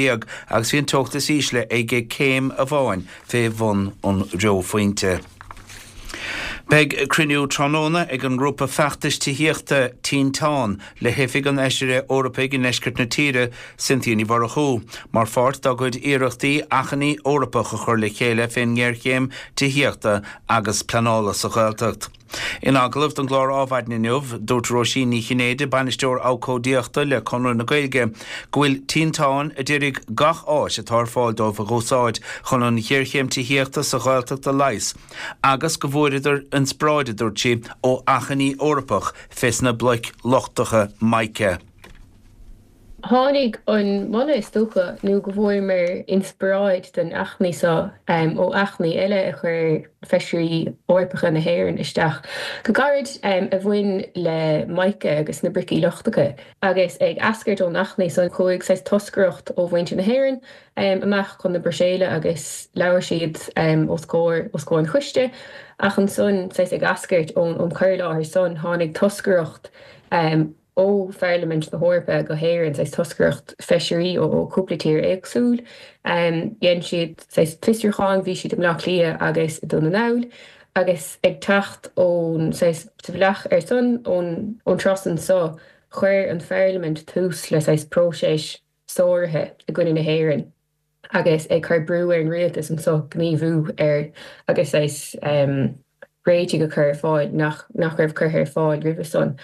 agus bhí an teocht is ísle ag céim amháin fé bhun an reophointe. Beidh cruinniú tráthnóna ag an ngrúpa feachtais tithíochta Tinteán le hoifig an Fheisire Eorpaigh i ndeisceart na tíre, Cynthia Ní Mhurchú, mar pháirt dá gcuid iarrachtaí achainí Eorpach a chur le chéile fén ngéarchéim tithíochta agus pleanála sa Ghaeltacht. In agallamh don gclár Ádhmhaidin inniu, dúirt Róisín Ní Chinnéide, Bainisteoir Abhcóideachta le Conradh na Gaeilge, go bhfuil Tinteán a d'iarraidh gach áis atá ar fáil dóibh a dh'úsáid chun an ghéarchéim tithíochta sa Ghaeltacht a leigheas agus go bhfuaireadar inspioráid, a dúirt sí, ó achainí Eorpach fés na bloic lochtacha mica. Tháinig an moladh, is dócha, nó go bhfuaireamar inspioráid don achainí seo ó achainí eile a chuir Feisirí Eorpacha na hÉireann isteach go gairid a bhain le mica agus na bricí lochtacha. Agus ag eascairt ón achainí san, chuaigh saghas toscaireacht ó mhuintir na hÉireann amach chun na Bruiséile agus labhair siad os comhair os comhair an choiste. Ach ansan, saghas ag eascairt ón cur i láthair san, tháinig toscaireacht ó Pharlaimint na hEorpa go hÉirinn, saghas toscaireacht feisirí ó chúpla tír éagsúil. Dhein siad saghas fiosrúchán, bhí siad i mBleá Cliath agus i Dún na nGall agus ag teacht ón saghas sa bhealach ar son ón turas anso, chuir an Pharlaimint tús le saghas próiseas sáraithe i gcoinne na hÉireann agus ag cur brú ar an rialtas anso gníomhú ar agus saghas réitigh a chur ar fáil nach nach raibh curtha ar fáil roimhe san.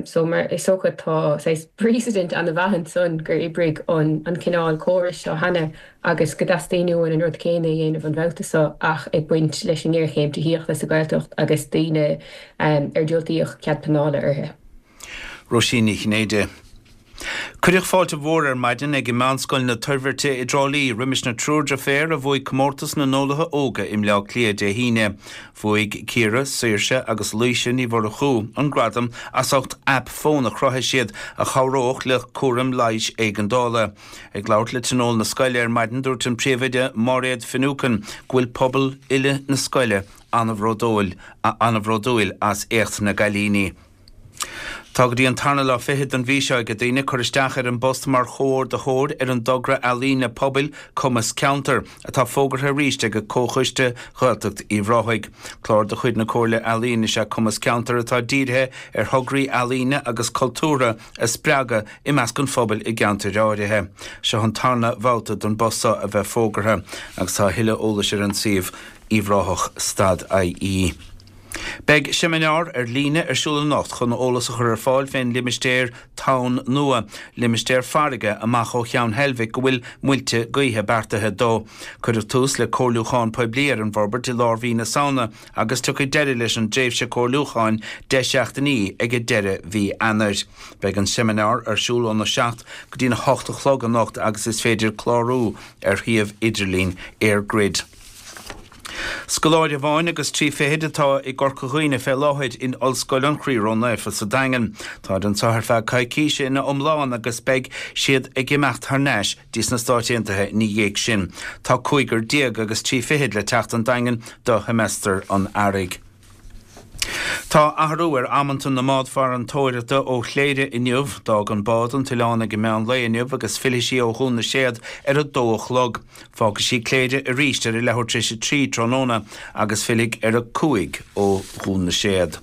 So mar is dócha tá saghas precedent ana-mhaith ansan gur oibrigh an an cineál córais seo cheana agus go dteastaíonn uainn an rud céanna a dhéanamh an babhta seo ach ag baint leis an ngéarchéim tithíochta sa Ghaeltacht agus daoine ar diúltaíodh cead pleanála orthu. Róisín Ní Chinnéide. Cuireadh fáilte mhór ar maidin ag Meánscoil na Toirbhirte i dTrá Lí roimis na triúr deirféar a bhuaigh Comórtas na nEolaithe Óga i mBleá Cliath Dé hAoine. Bhuaigh Ciara, Saoirse agus Laoise Ní Mhurchú an gradam as ucht aip fóin a chruthaigh siad a chabhródh le cúram leighis éigeandála. Ag labhairt le tionól na scoile ar maidin dúirt an príomhoide Máiréad Finucane go bhfuil pobal uile na scoile an-bhródúil an-bhródúil as éacht na gcailíní. Tá go dtí an tarna lá fichead den mhí seo ag daoine cur isteach ar an bpost mar chomhordaitheoir ar an dtogra ealaíne pobail Cumas Ceantar, atá fógartha arís ag Comhchoiste Ghaeltacht Uíbh Ráthaigh. Clár de chuid na Comhairle Ealaíon is ea Cumas Ceantar atá dírithe ar thograí ealaíne agus cultúrtha a spreagadh i measc an phobail i gceantair áirithe. Seo an tarna bhabhta don bpost seo a bheith fógartha agus tá a thuilleadh eolais ar an suíomh uíbhráthach stad ie. Beidh seimineár ar líne ar siúl anocht chun eolas a chur ar fáil fén limistéar Tonn Nua, limistéar farraige amach ó Cheann Heilbhic go bhfuil muilte gaoithe beartaithe dó. Cuireadh tús le comhairliúchán poiblí ar an bhforbairt i lár mhí na Samhna agus tiocfaidh deireadh leis an dtréimhse comhairliúcháin 10 seachtainí ag deireadh mhí Eanáir. Beidh an seimineár ar siúl óna 7 go dtína 8 a chlog anocht agus is féidir clárú ar shuíomh idirlín EirGrid. Scoláire amháin agus 3 fichid atá i gCorca Dhuibhne fé láthair in Ollscoil an Chroí Ró-Naofa sa Daingean. Táid anseo ar feadh coicíse ina iomlán agus beidh siad ag imeacht thar n-ais dtí sna Stáit Aontaithe ina dhiaidh sin. Tá cúigear déag agus 3 fichid le teacht 'on Daingean do sheimeastar an Earraigh. Tá athrú ar amanta na mbád farantóireachta ó Chléire inniu. D'fhág an bád an t-oileán ag an meán lae inniu agus fillfidh sí ó Dhún na Séad ar a dó a chlog. Fágfaidh sí Cléire arís ar a leathuair tar éis a 3 tráthnóna agus fillfidh ar a 5 ó Dhún na Séad.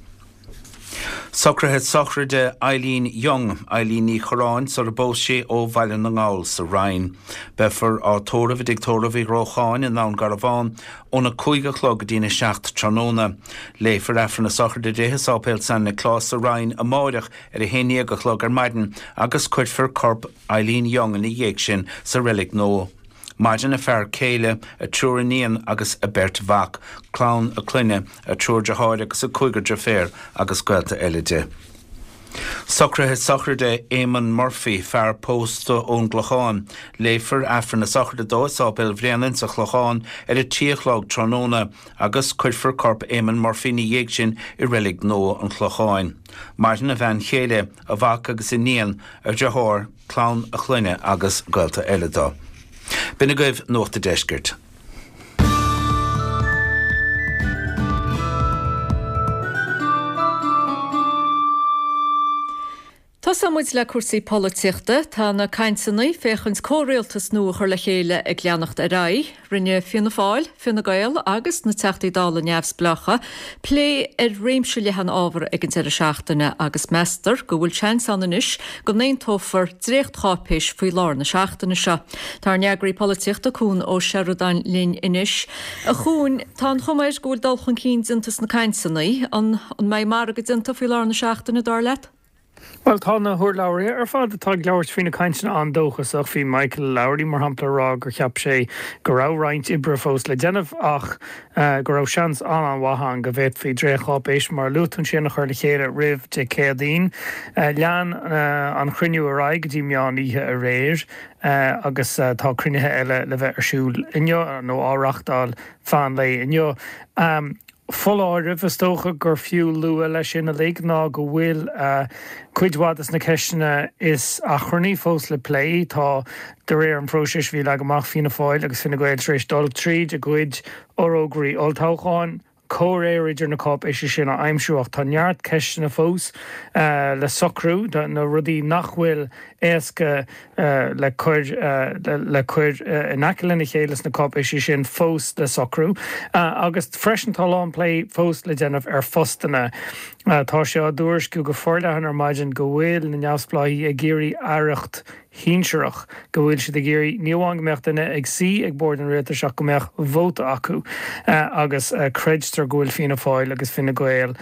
Socruithe sochraide Eileen Young, Eileen Ní Chorráin, sar a bpós sí ó Bhaile na nGall sa Rinn. Beifear á tórramh i dTigh Tórraimh Uí Ghrócháin i nDún Garbhán óna 5 a chlog go dtína 7 tráthnóna. Léifear Aifreann na sochraide di i Sáipéal San Nioclás sa Rinn amáireach ar a haon dhéag a chlog ar maidin agus cuirfear corp Eileen Young ina dhiaidh sin sa Reilig Nua. Maireann a fear céile, a triúr iníon agus a beirt mhac, clann a clainne, a triúr deartháir agus a cúigear deirféar agus gaolta eile di. Socruithe sochraide Éamonn Murphy, fear pósta ón gClochán. Léifear Aifreann na sochraide dó i Sáipéal Bhréanainn sa Chlochán ar a 3 a chlog tráthnóna agus cuirfear corp Éamonn Murphy ina dhiaidh sin i Reilig Nua an Chlocháin. Maireann a bhean chéile, a mhac agus iníon, a dhriotháir, clann a chlainne agus gaolta eile dó. B'in agaibh Nuacht a' Deiscirt. Tosóidh. Leanfaidh muid le cúrsaí polaitíochta. Tá na cainteanna féachaint comhrialtas nua a chur le chéile ag leanacht ar aghaidh. Rinne Fianna Fáil, Fine Gael agus na Teachtaí Dála neamhspleácha plé ar réimse leathan ábhar ag an deireadh seachtaine agus meastar go bhfuil seans ann anois go n-aontófar dréachtcháipéis faoi lár na seachtaine seo. Tá ár n-eagraí polaitíochta Cuan Ó Seireadáin linn anois. A Chuain, tá an chuma air go bhfuil dul chun cinn déanta sna cainteanna. An mbeidh margadh déanta faoi lár na seachtaine, dar leat? Bhuel, tá na hurlabhraithe ar fad atá ag labhairt faoi na cainteanna an-dóchasach. Bhí Michael Lowry, mar shampla, ag rá gur cheap sé go raibh roinnt oibre fós le déanamh ach go raibh seans an-an-mhaith ann go bhféadfaí dréachtcháipéis, mar a luaigh tú ansin, a chur le chéile roimh Dé Céadaoin. Lean an chruinniú ar aghaidh go dtí meán oíche aréir agus tá cruinnithe eile le bheith ar siúl inniu nó á reáchtáil feadh an lae inniu. Foláireamh is dócha gur fiú lua leis sin uilig ná go bhfuil cuid mhaith de na ceisteanna is achrannaí fós le plé. Tá, de réir an phróisis a bhí leagtha amach, Fianna Fáil agus Fine Gael tar éis dul tríd a gcuid fhorógraí olltoghcháin, comhréir idir na cáipéisí sin a aimsiú ach tá neart ceisteanna fós le socrú, na rudaí nach bhfuil éasca le cur le cur in aice lena chéile sna cáipéisí sin fós le socrú. Agus freisin tá a lán plé fós le déanamh ar phostanna. Tá sé á dtuairisciú go forleathan ar maidin go bhfuil na neamhspleáigh ag iarraidh aireacht shinsearach, go bhfuil siad ag iarraidh ní amháin go mbeadh duine ag suí ag bord an rialtais ach go mbeadh vóta acu. Agus creidtear go bhfuil Fianna Fáil agus Fine Gael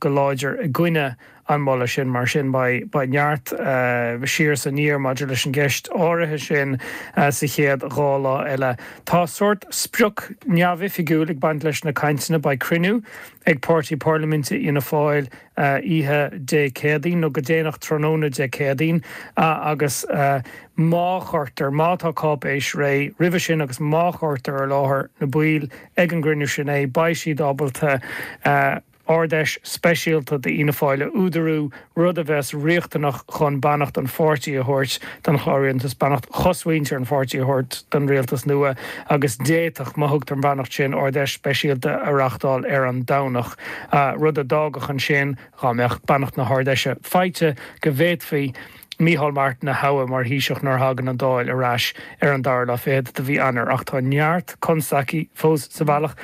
go láidir i gcoinne an moladh sin. Mar sin, beidh neart siar is aniar maidir leis an gceist áirithe sin sa chéad dá lá eile. Tá sórt sprioc neamhoifigiúil ag baint leis na cainteanna. Beidh cruinniú ag Páirtí Parlaiminte Fhianna Fáil oíche Dé Céadaoin, nó go déanach tráthnóna Dé Céadaoin, agus má chuirtear, má tá cáipéis réidh roimhe sin agus má chuirtear i láthair na baill ag an gcruinniú sin é, beidh siad ábalta Ard-Fheis speisialta d'Fhianna Fáil a údarú, rud a bheas riachtanach chun beannacht an pháirtí a thabhairt don chlár rialtais, beannacht chosmhuintir an pháirtí a thabhairt don rialtas nua agus d'fhéadfadh, má thugtar an bheannacht sin, Ard-Fheis speisialta a reáchtáil ar an Domhnach, rud a d'fhágfadh ansin, dhá mbeadh beannacht na hArd-Fheise faighte, go bhféadfaí. Micheál Martin a thoghadh mar Thaoiseach nuair a thagann an Dáil ar ais ar an dara lá fichead de mhí Eanáir. Ach tá neart constaicí fós sa bhealach.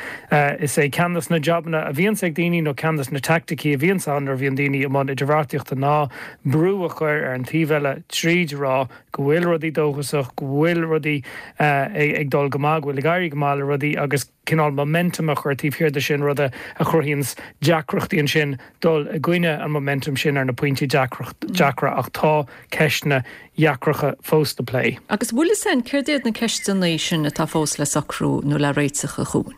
Is é ceann de na jabanna a bhíonns ag daoine, nó ceann de na teaicticí a bhíonns ann nuair a bhíonn daoine i mbun idirbheartaíochta ná brú a chur ar an taobh eile tríd a rá go bhfuil rudaí dóchasach, go bhfuil rudaí ag dul go maith, go bhfuil ag éirí go maith le rudaí agus cineál momentum a chur taobh thiar de sin, rud a chruthaíonns deacrachtaí ansin dul i gcoinne an momentum sin ar na pointí deacra ach tá ceisteanna dheacracha fós le plé. Agus bhfuil fhios a'inn céard iad na ceisteanna sin atá fós le socrú nó le réiteach a Chuain?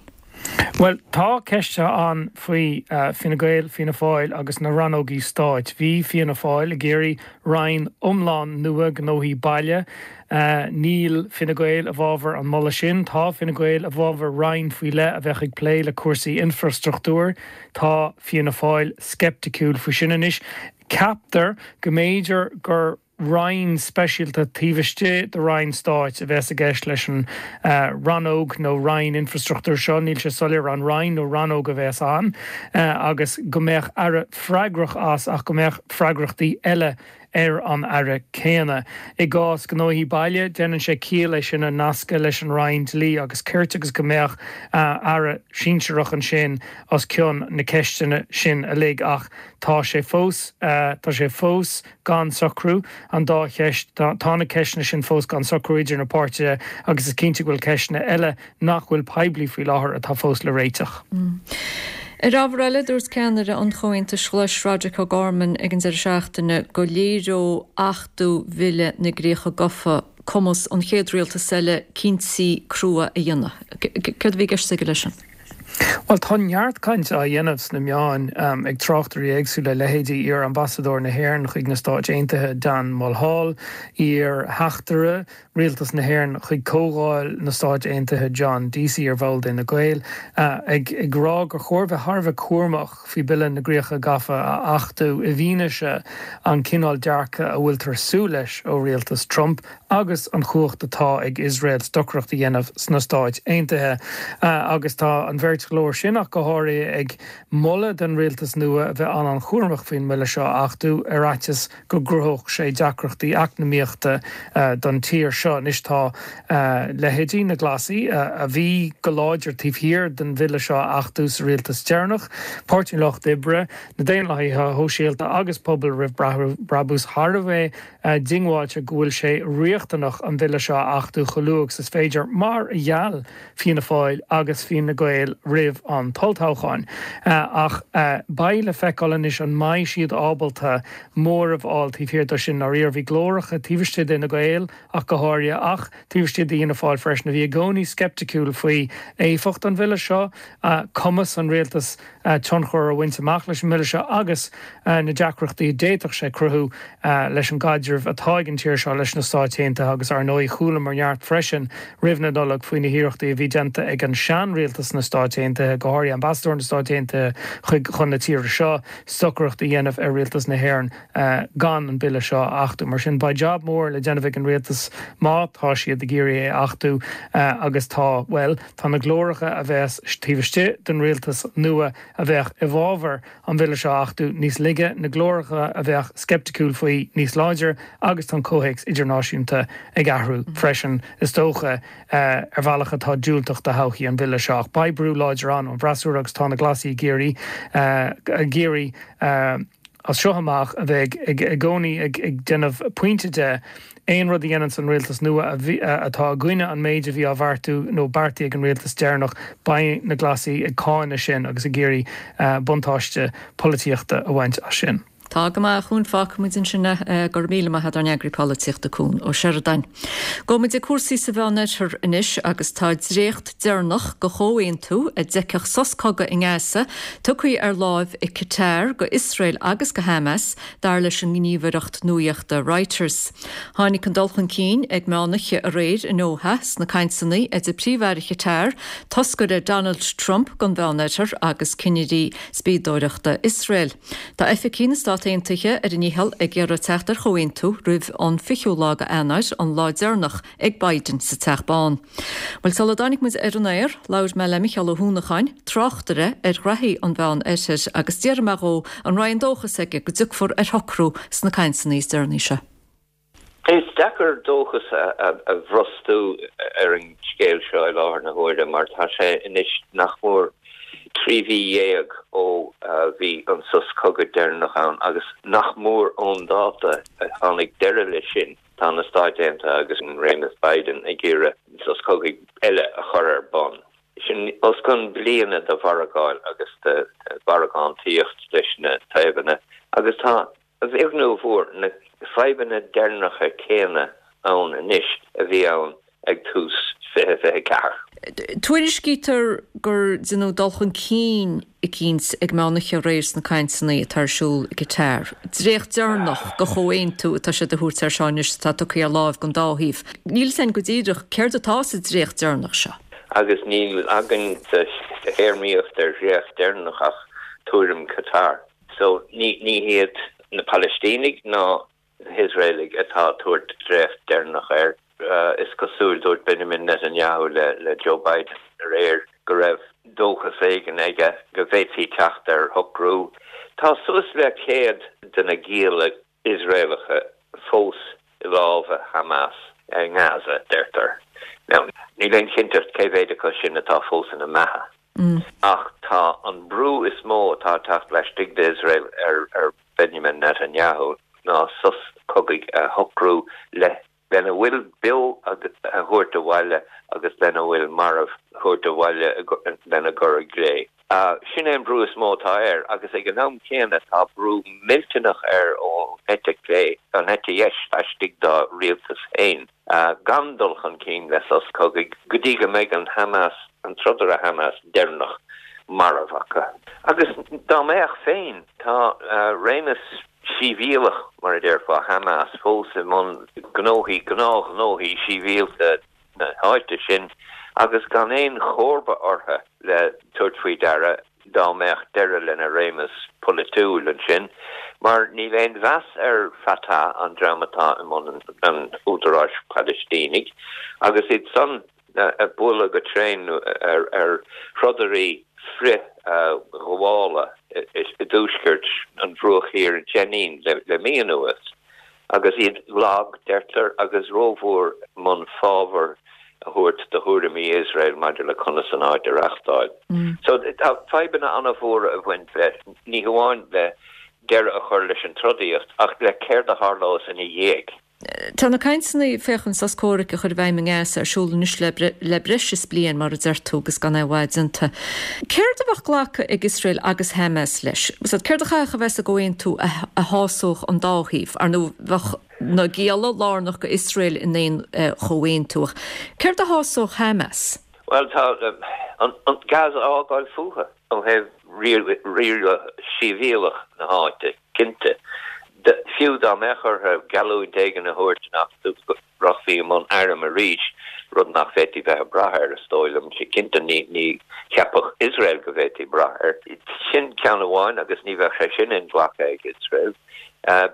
Bhuel, tá ceisteanna ann faoi Fine Gael, Fianna Fáil agus na rannógaí stáit. Bhí Fianna Fáil ag iarraidh roinn iomlán nua gnóthaí baile. Níl Fine Gael i bhfabhar an moladh sin. Tá Fine Gael i bhfabhar roinn faoi leith a bheadh ag plé le cúrsaí infreastruchtúir. Tá Fianna Fáil sceipticiúil faoi sin anois. Ceaptar go mb'fhéidir gur roinn speisialta taobh istigh de roinn stáit a bheas i gceist leis an rannóg nó roinn infreastruchtúir seo, níl sé soiléir an roinn nó rannóg a bheas ann, agus go mbeadh aire freagrach as ach go mbeadh freagrachtaí eile ar an aire céanna. I gcás gnóthaí baile, déanann sé ciall é sin a nascadh leis an Roinn Dlí agus Cirt agus go mbeadh aire sinsearach ansin os cionn na ceisteanna sin uilig. Ach tá sé fós, tá sé fós gan socrú, an dá cheist, tá na ceisteanna sin fós gan socrú idir na páirtithe agus is cinnte go bhfuil ceisteanna eile nach bhfuil poiblí faoi láthair atá fós le réiteach. Ar ábhar eile, dúirt ceannaire an Chomhaontais Ghlais, Roderic O'Gorman ag an deireadh seachtaine go léireodh achtú Bhille na gCríocha Gafa cumas an chéad rialtas eile cinntí crua a dhéanamh. Céard a bhí i gceist aige leis sin? Bhuel, tá neart cainte á dhéanamh sna meáin ag tráchtairí éagsúla, leithéidí iar-ambasadóir na hÉireann chuig na Stáit Aontaithe, Dan Mulhall, iar-theachtaire Rialtas na hÉireann chuig Comhdháil na Stáit Aontaithe John Deasy, ar bhall d'Fhine Gael, ag rá gur chóir bheith thar a bheith cúramach faoi Bille na gCríocha Gafa a achtú i bhfianaise an cineál dearcadh a bhfuiltear súil leis ó rialtas Trump agus an chumhacht atá ag Iosrael stocaireacht a dhéanamh sna Stáit Aontaithe. Agus tá an bheirt. bheirt ghlór sin ach go háirithe ag moladh don rialtas nua a bheith an-an-chúramach faoin mbille seo a achtú, ar fhaitíos go gcruthódh sé deacrachtaí eacnamaíochta don tír seo. Anois tá leithéidí na Glasaí, a bhí go láidir taobh thiar den bhille seo a achtú sa rialtas deireanach, Páirtí an Lucht Oibre, na Daonlathaithe Shóisialta agus Pobal Roimh Brabús thar a bheith diongbháilte go bhfuil sé riachtanach an bille seo a achtú chomh luath agus is féidir, mar a gheall Fianna Fáil agus Fine Gael roimh an t-olltoghchán. Ach beidh le feiceáil anois an mbeidh siad ábalta móramh a fháil taobh thiar de sin. Dáiríre, bhí glóracha taobh istigh d'Fhine Gael ach go háirithe, ach taobh istigh d'Fhianna Fáil freisin, a bhí i gcónaí sceipticiúil faoi éifeacht an bhille seo, cumas an rialtais tionchar a bhaint amach leis an mbille seo agus na deacrachtaí a d'fhéadfadh sé cruthú leis an gcaidreamh atá ag an tír seo leis na Stáit Aontaithe agus ar ndóigh chualamar neart freisin roimh na Nollag faoi na hiarrachtaí a bhí déanta ag an sean-rialtas na Stáit Aontaithe, go háirithe ambasadóir na Stáit Aontaithe chuig chun na tíre seo, stocaireacht a dhéanamh ar rialtas na hÉireann gan an bille seo a achtú. Mar sin beidh jab mór le déanamh ag an rialtas má tá siad ag iarraidh é a achtú agus tá, bhuel, Tá na glóracha a bheas taobh istigh den rialtas nua a bheadh i bhfabhar an bhille seo a achtú níos laige, na glóracha a bheadh sceipticiúil faoi níos láidre agus tá an comhthéacs idirnáisiúnta ag athrú freisin, is dócha, ar bhealach atá diúltach do thodhchaí an bhille seo. Ach beidh brú láidir ann ón bhfreasúra agus tá na Glasaigh ag iarraidh, ag iarraidh, as seo amach, a bheith i gcónaí ag déanamh pointe de aon rud a dhéananns an rialtas nua atá i gcoinne an méid a bhí á bheartú nó beartaithe ag an rialtas deireanach, beidh na Glasaigh ag cáineadh sin agus ag iarraidh buntáiste polaitíochta a bhaint as sin. Tá go maith, a Chúin, fágfaidh muid ansin é. Go raibh míle maith agat ár n-eagraí polaitíochta, Cún Ó Seireadáin. Gabhfaidh muid ag cúrsaí sa Mheánoirthear anois agus tá dréacht deireanach de chomhaontú a d'fheicfeadh sos cogaidh i nGaza tugtha ar láimh ag Qatar go Iosrael agus go Hamas, dar leis an ngníomhaireacht nuaíochta Reuters. Tháinig an dul chun cinn ag meánoíche aréir i nDoha sna cainteanna idir Príomh-Aire Qatar, toscaire Donald Trump don Mheánoirthear agus cinnirí spiadóireachta Iosrael. Tá oifigigh na Stát Aontaithe ar a ndícheall ag iarraidh teacht ar chomhaontú roimh an 20ú lá de Eanáir, an lá deireanach ag Biden sa Teach Bán. Bhuel, sula dtáinig muid ar an aer, labhair mé le Micheál Ó hUanacháin, tráchtaire ar ghraithí an Mheán Oirthir, agus d'fhiafraigh mé dhó an raibh aon dóchas aige go dtiocfar ar shocrú sna cainteanna is deireanaí seo. Is deacair dóchas a bhrostú ar an scéal seo i láthair na huaire mar tá sé anois nach mór 13 mhí ó bhí an sos cogaidh deireanach ann agus nach mór ón dáta a tháinig deireadh leis sin. Tá na Stáit Aontaithe agus an réimeas Biden ag iarraidh sos cogaidh eile a chur ar bun. Sin os cionn bliana de mhargáil agus de mhargántaíocht leis na taobhanna agus tá, a bheag nó a mhór, na fadhbanna deireanacha céanna ann anois a bhí ann ag tús 2024. Tuairiscítear gur deineadh dul chun cinn eicínt ag meánoíche aréir sna cainteanna atá ar siúl i gCatar. Dréacht deireanach de chomhaontú atá siad a thabhairt air seo anois atá tugtha ar láimh don dá thaobh. Níl fhios againn go díreach céard atá sa dréacht deireanach seo. Agus níl againn sa théarmaíocht ar dhréacht deireanach ach tuairim Qatar. So ní hiad na Palaistínigh ná na hIosraelaigh atá ag tabhairt dréacht deireanach air. Is cosúil, dúirt Benjamin Netanyahu le Joe Biden aréir go raibh dóchas éigin aige go bhféadfaí teacht ar shocrú. Tá suas le 100 de na gialla Iosraelacha fós i lámha Hamas i nGaza, deirtear. Now, níl aon chinnteacht cé mhéad acu sin atá fós ina mbeatha. Ach tá an brú is mó atá ag teacht laistigh d'Iosrael ar Benjamin Netanyahu ná sos cogaidh a shocrú le lena bhfuil beo a thabhairt abhaile agus lena bhfuil marbh a thabhairt abhaile lena gcur i gcré. Sin é an brú is mó atá air agus ag an am céanna tá brú millteanach air ón eite chlé, an eite dheis laistigh dá rialtas féin. gan dul chun cinn le sos cogaidh go dtí go mbeidh an Hamas, an trodaire Hamas deireanach marbh acu. Agus dá mbeadh féin, tá réimeas sibhialach, mar a déarfá, Hamas fós i mbun gnóthaí, gnáthghnóthaí sibhialta na háite sin agus gan aon chomharba orthu le tabhairt faoi deara. dá mbeadh deireadh lena réimeas polaitiúil ansin, mar níl aon mheas ar Fatah, an dream atá i mbun an Údaráis Phalaistínigh, agus iad san ag bualadh go tréan ar throdairí frithghabhála i dtuaisceart an Bhruach Thiar i Jenin le mí anuas agus iad lag, deirtear, agus rómhór i mbun fábhar a thabhairt do thuairimí Iosrael maidir le conas an áit a reachtáil. So tá fadhbanna an-mhóra ag baint leis, ní hamháin le deireadh a chur leis an trodaíocht ach le céard a tharlós ina dhiaidh. Tá na cainteanna féachaint sos comhraic a chur i bhfeidhm i nGaza ar siúl anois le breis is bliain, mar a deir tú, agus gan aon mhaith déanta. Céard a bheadh glactha ag Iosrael agus Hamas leis? Céard a chaithfeadh a bheith sa gcomhaontú a shásódh an dá thaobh? Ar ndóigh, bheadh na gialla lárnach go Iosrael in aon chomhaontú, ach céard a shásódh Hamas? Bhuel, tá an Gaza a fhágáil fúthu. Ó thaobh riaradh sibhialtach na háite, cinnte. Fiú dá mbeadh orthu geallúint éigin a thabhairt nach rachfaí i mbun airm arís, rud nach bhféadfaí bheith ag brath air, is dóigh liom, cinnte ní cheapfadh Iosrael go bhféadfaí brath air. Sin ceann amháin agus ní bheadh sé sin inghlactha ag Iosrael.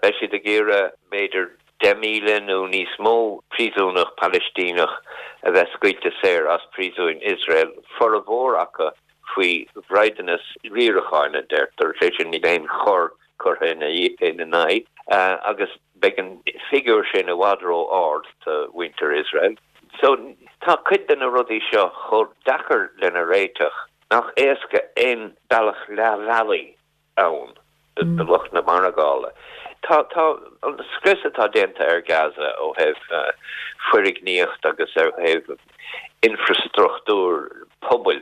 Beidh siad ag iarraidh, b'fhéidir, 10,000 nó níos mó príosúnach Palaistíneach a bheith scaoilte saor as príosúin Iosrael, formhór acu faoi bhraighdeanas riaracháin, a deirtear, sé sin níl aon choir curtha ina n-aghaidh, agus beidh an figiúr sin i bhfad ró-ard do mhuintir Iosrael. So, tá cuid de na rudaí seo chomh deacair lena réiteach nach éasca aon bealach leathbhealaigh ann do lucht na margála. Tá tá an scrios atá déanta ar Gaza ó thaobh foirgníocht agus ó thaobh infreastruchtúr pobail,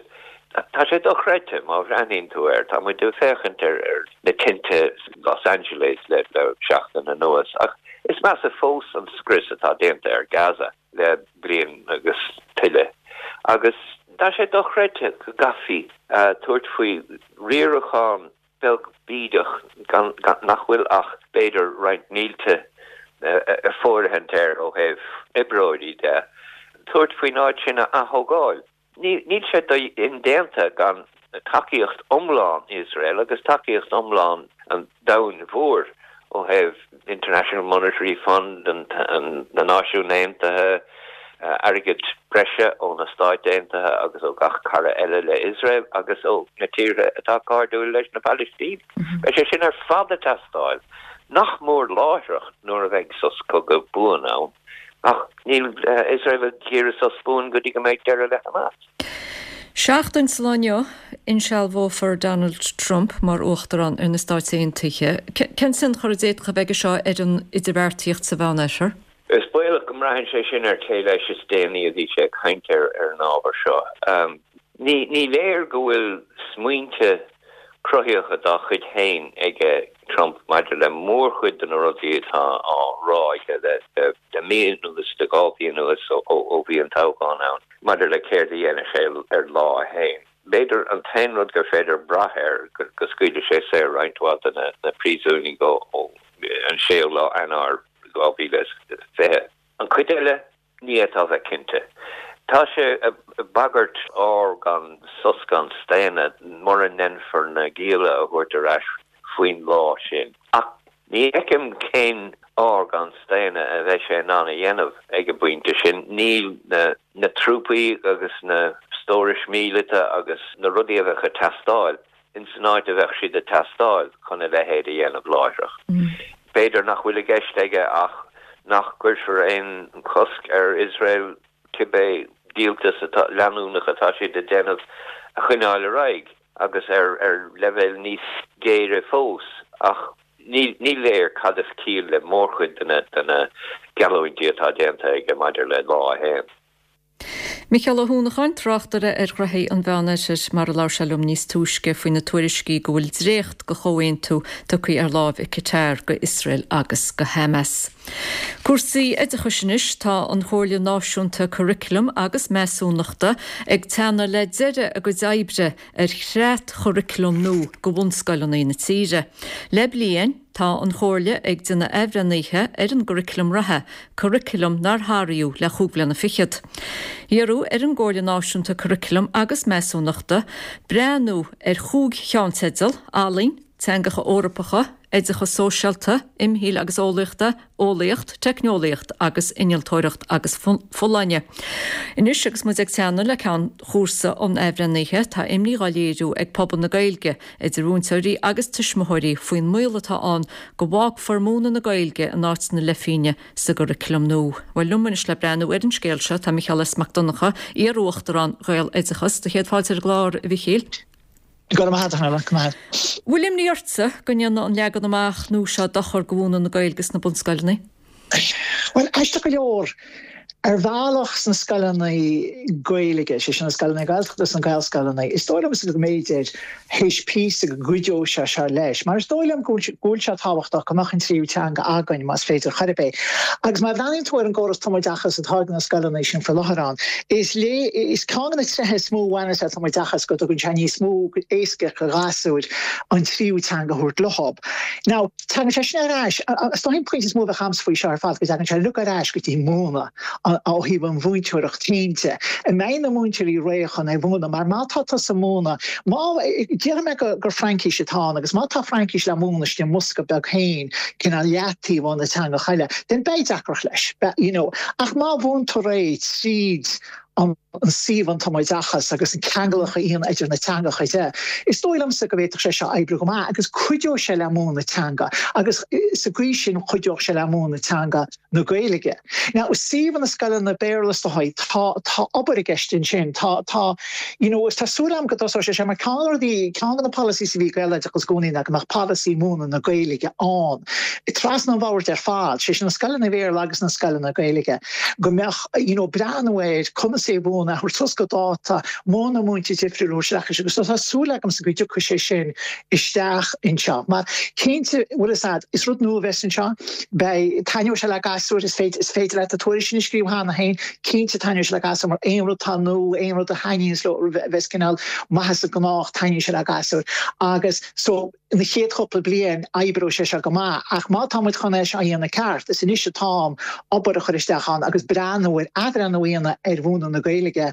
tá sé dochreidte má bhreathnaíonn tú air. Tá muid ag féachaint ar na tinte Los Angeles le seachtain anuas ach is measa fós an scrios atá déanta ar Gaza le bliain agus tuilleadh agus tá sé dochreidte go gcaithfí tabhairt faoi riarachán beag bídeach gan nach bhfuil ach b'fhéidir roinnt mílte ag fóirithint air ó thaobh oibreoirí de, tabhairt faoin áit sin a ath-thógáil. Níl sé indéanta gan tacaíocht iomlán Iosrael agus tacaíocht iomlán an domhain mhóir ó thaobh International Monetary Fund, na Náisiúin Aontaithe, airgead breise ó na Stáit Aontaithe agus ó gach cara eile le Iosrael agus ó na tíortha atá cairdiúil leis na Palaistínigh. Beidh sé sin ar fad ag teastáil, nach mór láithreach nuair a bheidh sos cogaidh buan ann. Ach níl Iosrael ag iarraidh sos buan go dtí go mbeidh deireadh le Hamas. Seachtain sa lá inniu, insealbhófar Donald Trump mar Uachtarán ar na Stáit Aontaithe. Cén tionchar a d'fhéadfadh a bheith aige seo ar an idirbheartaíocht sa Mheánoirthear? Is baolach go mbraitheann sé sin ar cé leis is déanaí a bhí sé ag caint ar an ábhar seo. Ní léir go bhfuil smaointe cruthaíocha dá chuid féin aige Trump maidir le mórchuid de na rudaí atá á rá aige le mí anuas, le 2 mhí anuas ó bhí an toghchán ann, maidir le céard a dhéanfaidh sé ar lá a haon. B'fhéidir an t-aon rud gur féidir brath air go scaoilfidh sé saor roinnt mhaith de na príosúnaigh ó an séú lá Eanáir 2020. An chuid eile, Ní fhéadfá a bheith cinnte. Tá sé ag bagairt ár gan sos gan staonadh mura ndéanfar na gialla a thabhairt ar ais faoin lá sin. Ach ní fheicim cén ár gan staonadh a bheidh sé in ann a dhéanamh ag an bpointe sin. Níl na trúpaí agus na stórais míleata agus na rudaí a bheadh ag teastáil ins an áit a bheadh siad ag teastáil chun a leithéid a dhéanamh láithreach. B'fhéidir nach bhfuil i gceist aige ach nach gcuirfear aon chosc ar Iosrael cibé díoltas atá leanúnach atá siad ag déanamh a choinneáil ar aghaidh agus ar ar leibhéal níos géire fós ach ní léir cad is ciall le mórchuid de na geallúintí atá déanta aige maidir le lá a haon. Micheál Ó hUanacháin, tráchtaire ar ghnoithí an Mheánoirthir, mar a labhair sé liom níos túisce faoi na tuairiscí go bhfuil dréacht de chomhaontú tugtha ar láimh ag Qatar go Iosrael agus go Hamas. Cúrsaí oideachais anois, tá an Chomhairle Náisiúnta Curaclaim agus Measúnachta ag teannadh le deireadh a gcuid oibre ar chreat-churaclam nua go bhunscoileanna na tíre. Le bliain, tá an Chomhairle ag déanamh athbhreithnithe ar an gcuraclam reatha, curaclam nár hathraíodh le chúig bhliana fichead. Iarradh ar an gComhairle Náisiúnta Curaclaim agus Measúnachta breathnú ar chúig cheannteideal, Ealaín, Teangacha Eorpacha, Oideachas Sóisialta, Imshaoil agus Eolaíochta, Eolaíocht, Teicneolaíocht agus Innealtóireacht agus Folláine. Anois agus muid ag teannadh le ceann chúrsa an athbhreithnithe, tá imní dhá léiriú ag pobal na Gaeilge, idir mhúinteoirí agus tuismitheoirí, faoin mbaol atá ann go bhfágfar múineadh na Gaeilge in áit na leithphingne sa gcuraclam nua. Bhuel, liom anois le breathnú ar an scéal seo tá Micheál S. Mac Donncha, iar-Uachtarán Ghaeloideachas. Do chéad fáilte ar an gclár, a Mhichíl. Go raibh maith agat, a Nuala, go raibh maith agat. Bhfuil imní ortsa go ndéanfaidh an leagan amach nua seo dochar do mhúineadh na Gaeilge sna bunscoileanna? Bhuel, aisteach go leor, ar bhealach sna scoileanna Gaeilge, sé sin na scoileanna Gaeltachta agus na Gaelscoileanna, is dóigh liomsa go mb'fhéidir théis píosa go gcuideodh sé seo leis, mar is dóigh liom go bhfuil sé tábhachtach go mbeadh an tríú teanga againn más féidir chor ar bith. Agus má bhreathnaíonn tú ar an gcóras tumoideachais atá ag na scoileanna sin faoi láthair ann, is lé, is ceann de na tréithe is mó a bhaineas le tumoideachas go dtugann sé níos mó éascaíocht do ghasúir an tríú teanga a thabhairt leo. Now, tagann sé sin ar ais, is dóigh an pointe is mó a bheadh agamsa faoi seo ar fad go dtagann sé uilig ar ais go dtí múineadh ó thaobh an mhúinteoireacht féin de. An mbeidh na múinteoirí réidh chun é mhúineadh? Mar má tá tusa ag múineadh, má, déarfaidh mé gur Fraincís atá ann agus má tá Fraincis le múineadh istigh i mbosca beag féin, cineál leataobh ó na teangacha eile, then beidh deacracht leis, you know. Ach má mhúintear é tríd an suíomh an tumoideachas agus an ceangal a dhéanamh idir na teangacha de, is dóigh liomsa go bhféadfadh sé seo oibriú go maith agus cuideoidh sé le múineadh teanga agus sa gcaoi sin chuideodh sé le múineadh teanga na Gaeilge. Now, i suíomh na scoileanna Béarla is dóigh, tá, tá obair i gceist ansin, tá, tá, you know, tá súil agam go dtosóidh sé seo mar ceann de na rudaí, ceann de na policies a bhí ag Gaeloideachas i gcónaí ná go mbeadh polasaí múineadh na Gaeilge ann trasna an bhoird ar fad, sé sin na scoileanna Béarla agus na scoileanna Gaeilge, go mbeadh, you know, breathnú ar conas é a mhúineadh, a thabhairt suas go dáta, modhanna múinte difriúla a thabhairt isteach agus tá súil agamsa go dtiocfaidh sé sin isteach anseo. Mar, cinnte, bhfuil fhios a'd, is rud nua a bheas anseo, beidh, taitneoidh sé le gasúir, is féidir, is féidir leat na tuairiscí sin a scríobh cheana féin, cinnte taitneoidh sé le gasúir mar aon rud atá nua, aon rud a thaitníonns leo, a bheas cineál maith as an ngnách, taitníonn sé le gasúir agus so, na chéad chúpla bliain oibreoidh sé seo go maith ach má tá muid chun é seo a dhéanamh ceart, is anois atá an t-am obair a chur isteach ann agus breathnú ar athbhreithniú a dhéanamh ar mhúineadh na Gaeilge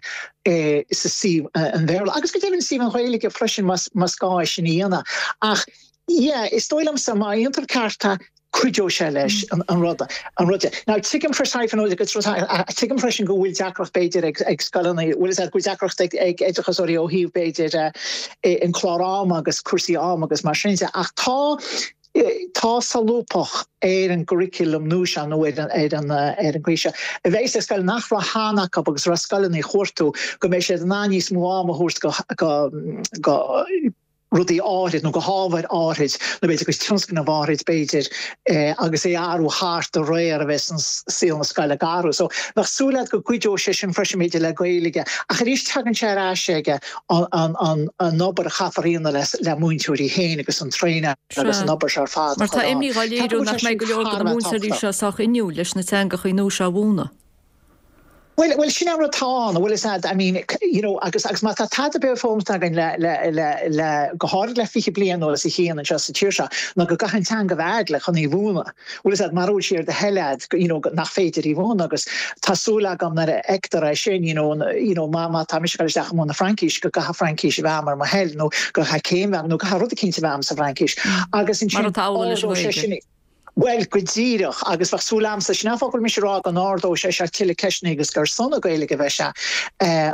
sa suíomh an Bhéarla agus go deimhin suíomh an Ghaeilge freisin más gá é sin a dhéanamh. Ach yeah, is dóigh liomsa má dhéantar ceart é, cuideoidh sé leis an rud an rud. Now tuigim freisin tuigim freisin go bhfuil deacracht b'fhéidir ag ag scoileanna, bhfuil fhios a'd go bhfuil deacracht ag ag oideachasóirí ó thaobh b'fhéidir an clár ama agus cúrsaí ama agus mar sin de ach tá tá solúbthacht ar an gcurriculum nua seo nó ar an ar an ar an gcaoi seo a bheidh ag scoil nach raibh cheana acu agus raibh scoileanna ag cuartú go mbeidh siad in ann níos mó ama a thabhairt go go go rudaí áithrid nó go hábhair áithrid nó b'fhéidir go tionscnaimh áithrid b'fhéidir agus é a athrú thart de réir a bheas an saol na scoile ag athrú. So bheadh súil agat go gcuideodh sé sin freisin b'fhéidir le Gaeilge ach arís tagann sé ar ais ag an an an obair a chaithfear a dhéanamh le le múinteoirí féin agus an traenáil agus an obair seo ar fad a Mar tá imní dhá léiriú nach mbeidh go leor de na múinteoirí seo sách inniúil leis na teangachaí nua seo a mhúineadh. Bhuel, bhuel, sin an rud atá ann, bhfuil fhios a'd, I mean, you know, agus, agus má tá tada ar bith foghlamtha againn le, le, le, le, go háirid le 20 bliain anuas a Chian anseo sa tír seo, ná go gcaithfidh an teanga a bheith a'd le chun í mhúineadh. Bhfuil fhios a'd, mara bhfuil sí ar do thoil a'd, you know, nach féidir í mhúineadh agus tá súil agam nuair a fheictear é sin, you know, you know, má, má tá mise ag dul isteach ag múineadh Fraincís, go gcaithfidh Fraincis a bheith a'm ar mo thoil nó go gcaithfidh céim a bheith a'm nó go gcaithfidh rud eicínt a bheith a'm sa bhFraincis. Agus ansin, Mar atá amhlaidh leis an ardóidh sé nGaeilge. sin, Bhuel, go díreach, agus bheadh súil a'msa, sin an fáth go bhfuil mise ag rá go n-ardóidh sé seo tuilleadh ceisteanna agus gur ar son na Gaeilge a bheidh sé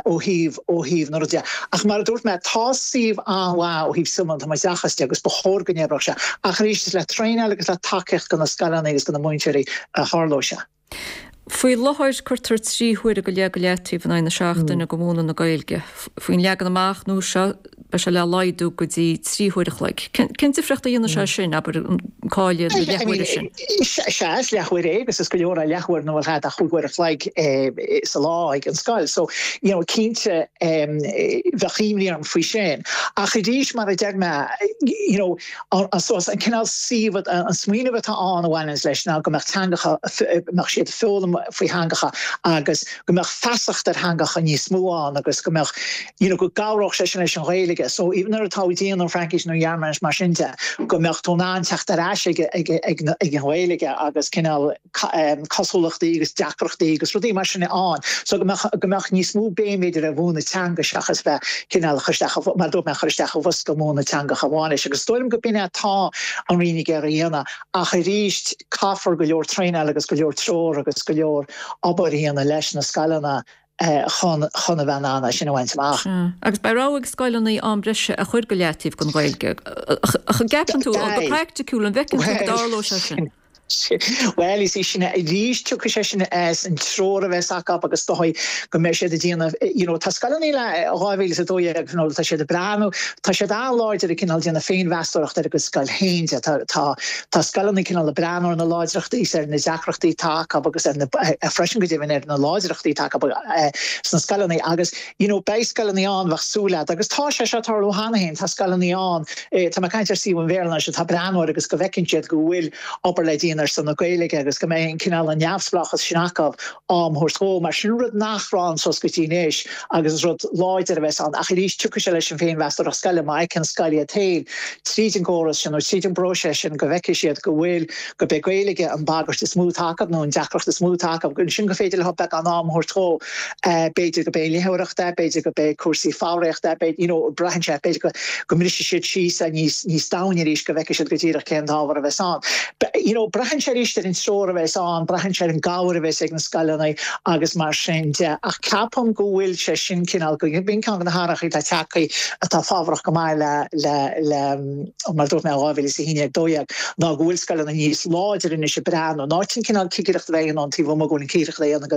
ó thaobh, ó thaobh na rudaí de. Ach mar a dúirt mé, tá suíomh an-mhaith ó thaobh suíomh an tumoideachais de agus ba chóir go n-oibreodh sé. Ach arís, is le traenáil agus le tacaíocht do na scoileanna agus do na múinteoirí a tharlóidh sé. Faoi láthair cuirtear 3 huaire go leith go leataobh in aghaidh na seachtaine do mhúineadh na Gaeilge. Faoin leagan amach nua seo beidh sé le laghdú go dtí 3 huaire a chloig. Cén difríocht a dhéanfaidh sé sin, abair, an cailleadh na leathuaire sin? Sea, is leathuair é agus is go leor é leathuair nuair nach bhfuil ach 5 uair a chloig sa lá ag an scoil. So, you know, cinnte bheadh imní orm faoi sin. Ach arís, mar a deir mé, you know, An cineál suíomh, an smaoineamh atá ann a bhaineanns leis ná go mbeadh teangacha, mbeadh siad ag foghlaim. faoi theangacha agus go mbeadh feasacht ar theangacha níos mó ann agus go mbeadh, you know, go gcabhródh sé sin leis an Ghaeilge. So even nuair atá tú ag déanamh an Fraincis nó Ghearmáinis mar sin de, go mbeadh tú in ann teacht ar ais ag, ag, ag, ag an Ghaeilge agus cineál cosúlachtaí agus deacrachtaí agus rudaí mar sin ann. So go mbeadh, go mbeadh níos mó béim b'fhéidir ar mhúineadh teanga seachas bheith cineál a chur isteach, mar a dúirt mé, a chur isteach i bhosca múineadh teangacha amháin leis. Agus is dóigh liom go b'in é atá an Roinn ag iarraidh a dhéanamh. Ach arís, caithfear go leor traenáil agus go leor treoir agus go leor obair a dhéanamh leis na scoileanna chun chun a bheith in ann é sin a bhaint amach. Sea. Agus beidh rogha ag scoileanna am breise a chur go leataobh don Ghaeilge. Ach an gceapann tú, go praiticiúil, an bhfeiceann tú go dtarlóidh sé sin? Bhuel, is í sin arís, tiocfaidh sé sin as an treoir a bheas acu agus is dóigh go mbeidh siad ag déanamh, you know, tá scoileanna le 2012, you know, tá siad ag breathnú, tá siad an-láidir ag cineál déanamh féinmheastóireacht ar a gcuid scoil féin de, tá, tá, tá scoileanna cineál ag breathnú ar na láidreachtaí is ar na deacrachtaí atá acu agus ar na, freisin go deimhin ar na láidreachtaí atá acu sna scoileanna agus, you know, beidh scoileanna ann, bheadh súil agat, agus tá sé seo ag tarlú cheana féin, tá scoileanna ann, tá mé ag caint ar suíomh an Bhéarla anois, atá ag breathnú air agus go bhfeiceann siad go bhfuil obair le déanamh ar son na Gaeilge agus go mbeidh an cineál an neamhspleáchas sin acu am a thabhairt dhó, mar sin rud nach raibh ann suas go dtí anois agus is rud láidir a bheas ann ach arís tiocfaidh sé leis an féinmheastóireacht scoile, má fheiceann scoil iad féin tríd an gcóras sin nó tríd an bpróiseas sin go bhfeicfidh siad go bhfuil go b'é Gaeilge an bhagairt is mó atá acu nó an deacracht is mó atá acu, ansin gur féidir leo beagán am a thabhairt dhó. B'fhéidir go b'é léitheoireacht é, b'fhéidir go b'é cúrsaí foghraíochta é, b'fhéidir, you know, braitheann sé, b'fhéidir go, go mbrisfidh siad síos é níos, níos domhaine arís, go bhfeicfidh siad go díreach cén t-ábhar a bheas ann. You know, braitheann sé arís ar an treoir a bheas ann, braitheann sé ar an gcabhair a bheas ag na scoileanna agus mar sin de. Ach ceapaim go bhfuil sé sin cineál, go, b'in ceann de na hathrachaí atá tagtha atá fabhrach go maith le, le, le, mar a dúirt mé, 2011, 12, ná go bhfuil scoileanna níos láidre anois ag breathnú, in áit an cineál cigireacht a bheith ann taobh amuigh, go bhfuil an cigireacht á dhéanamh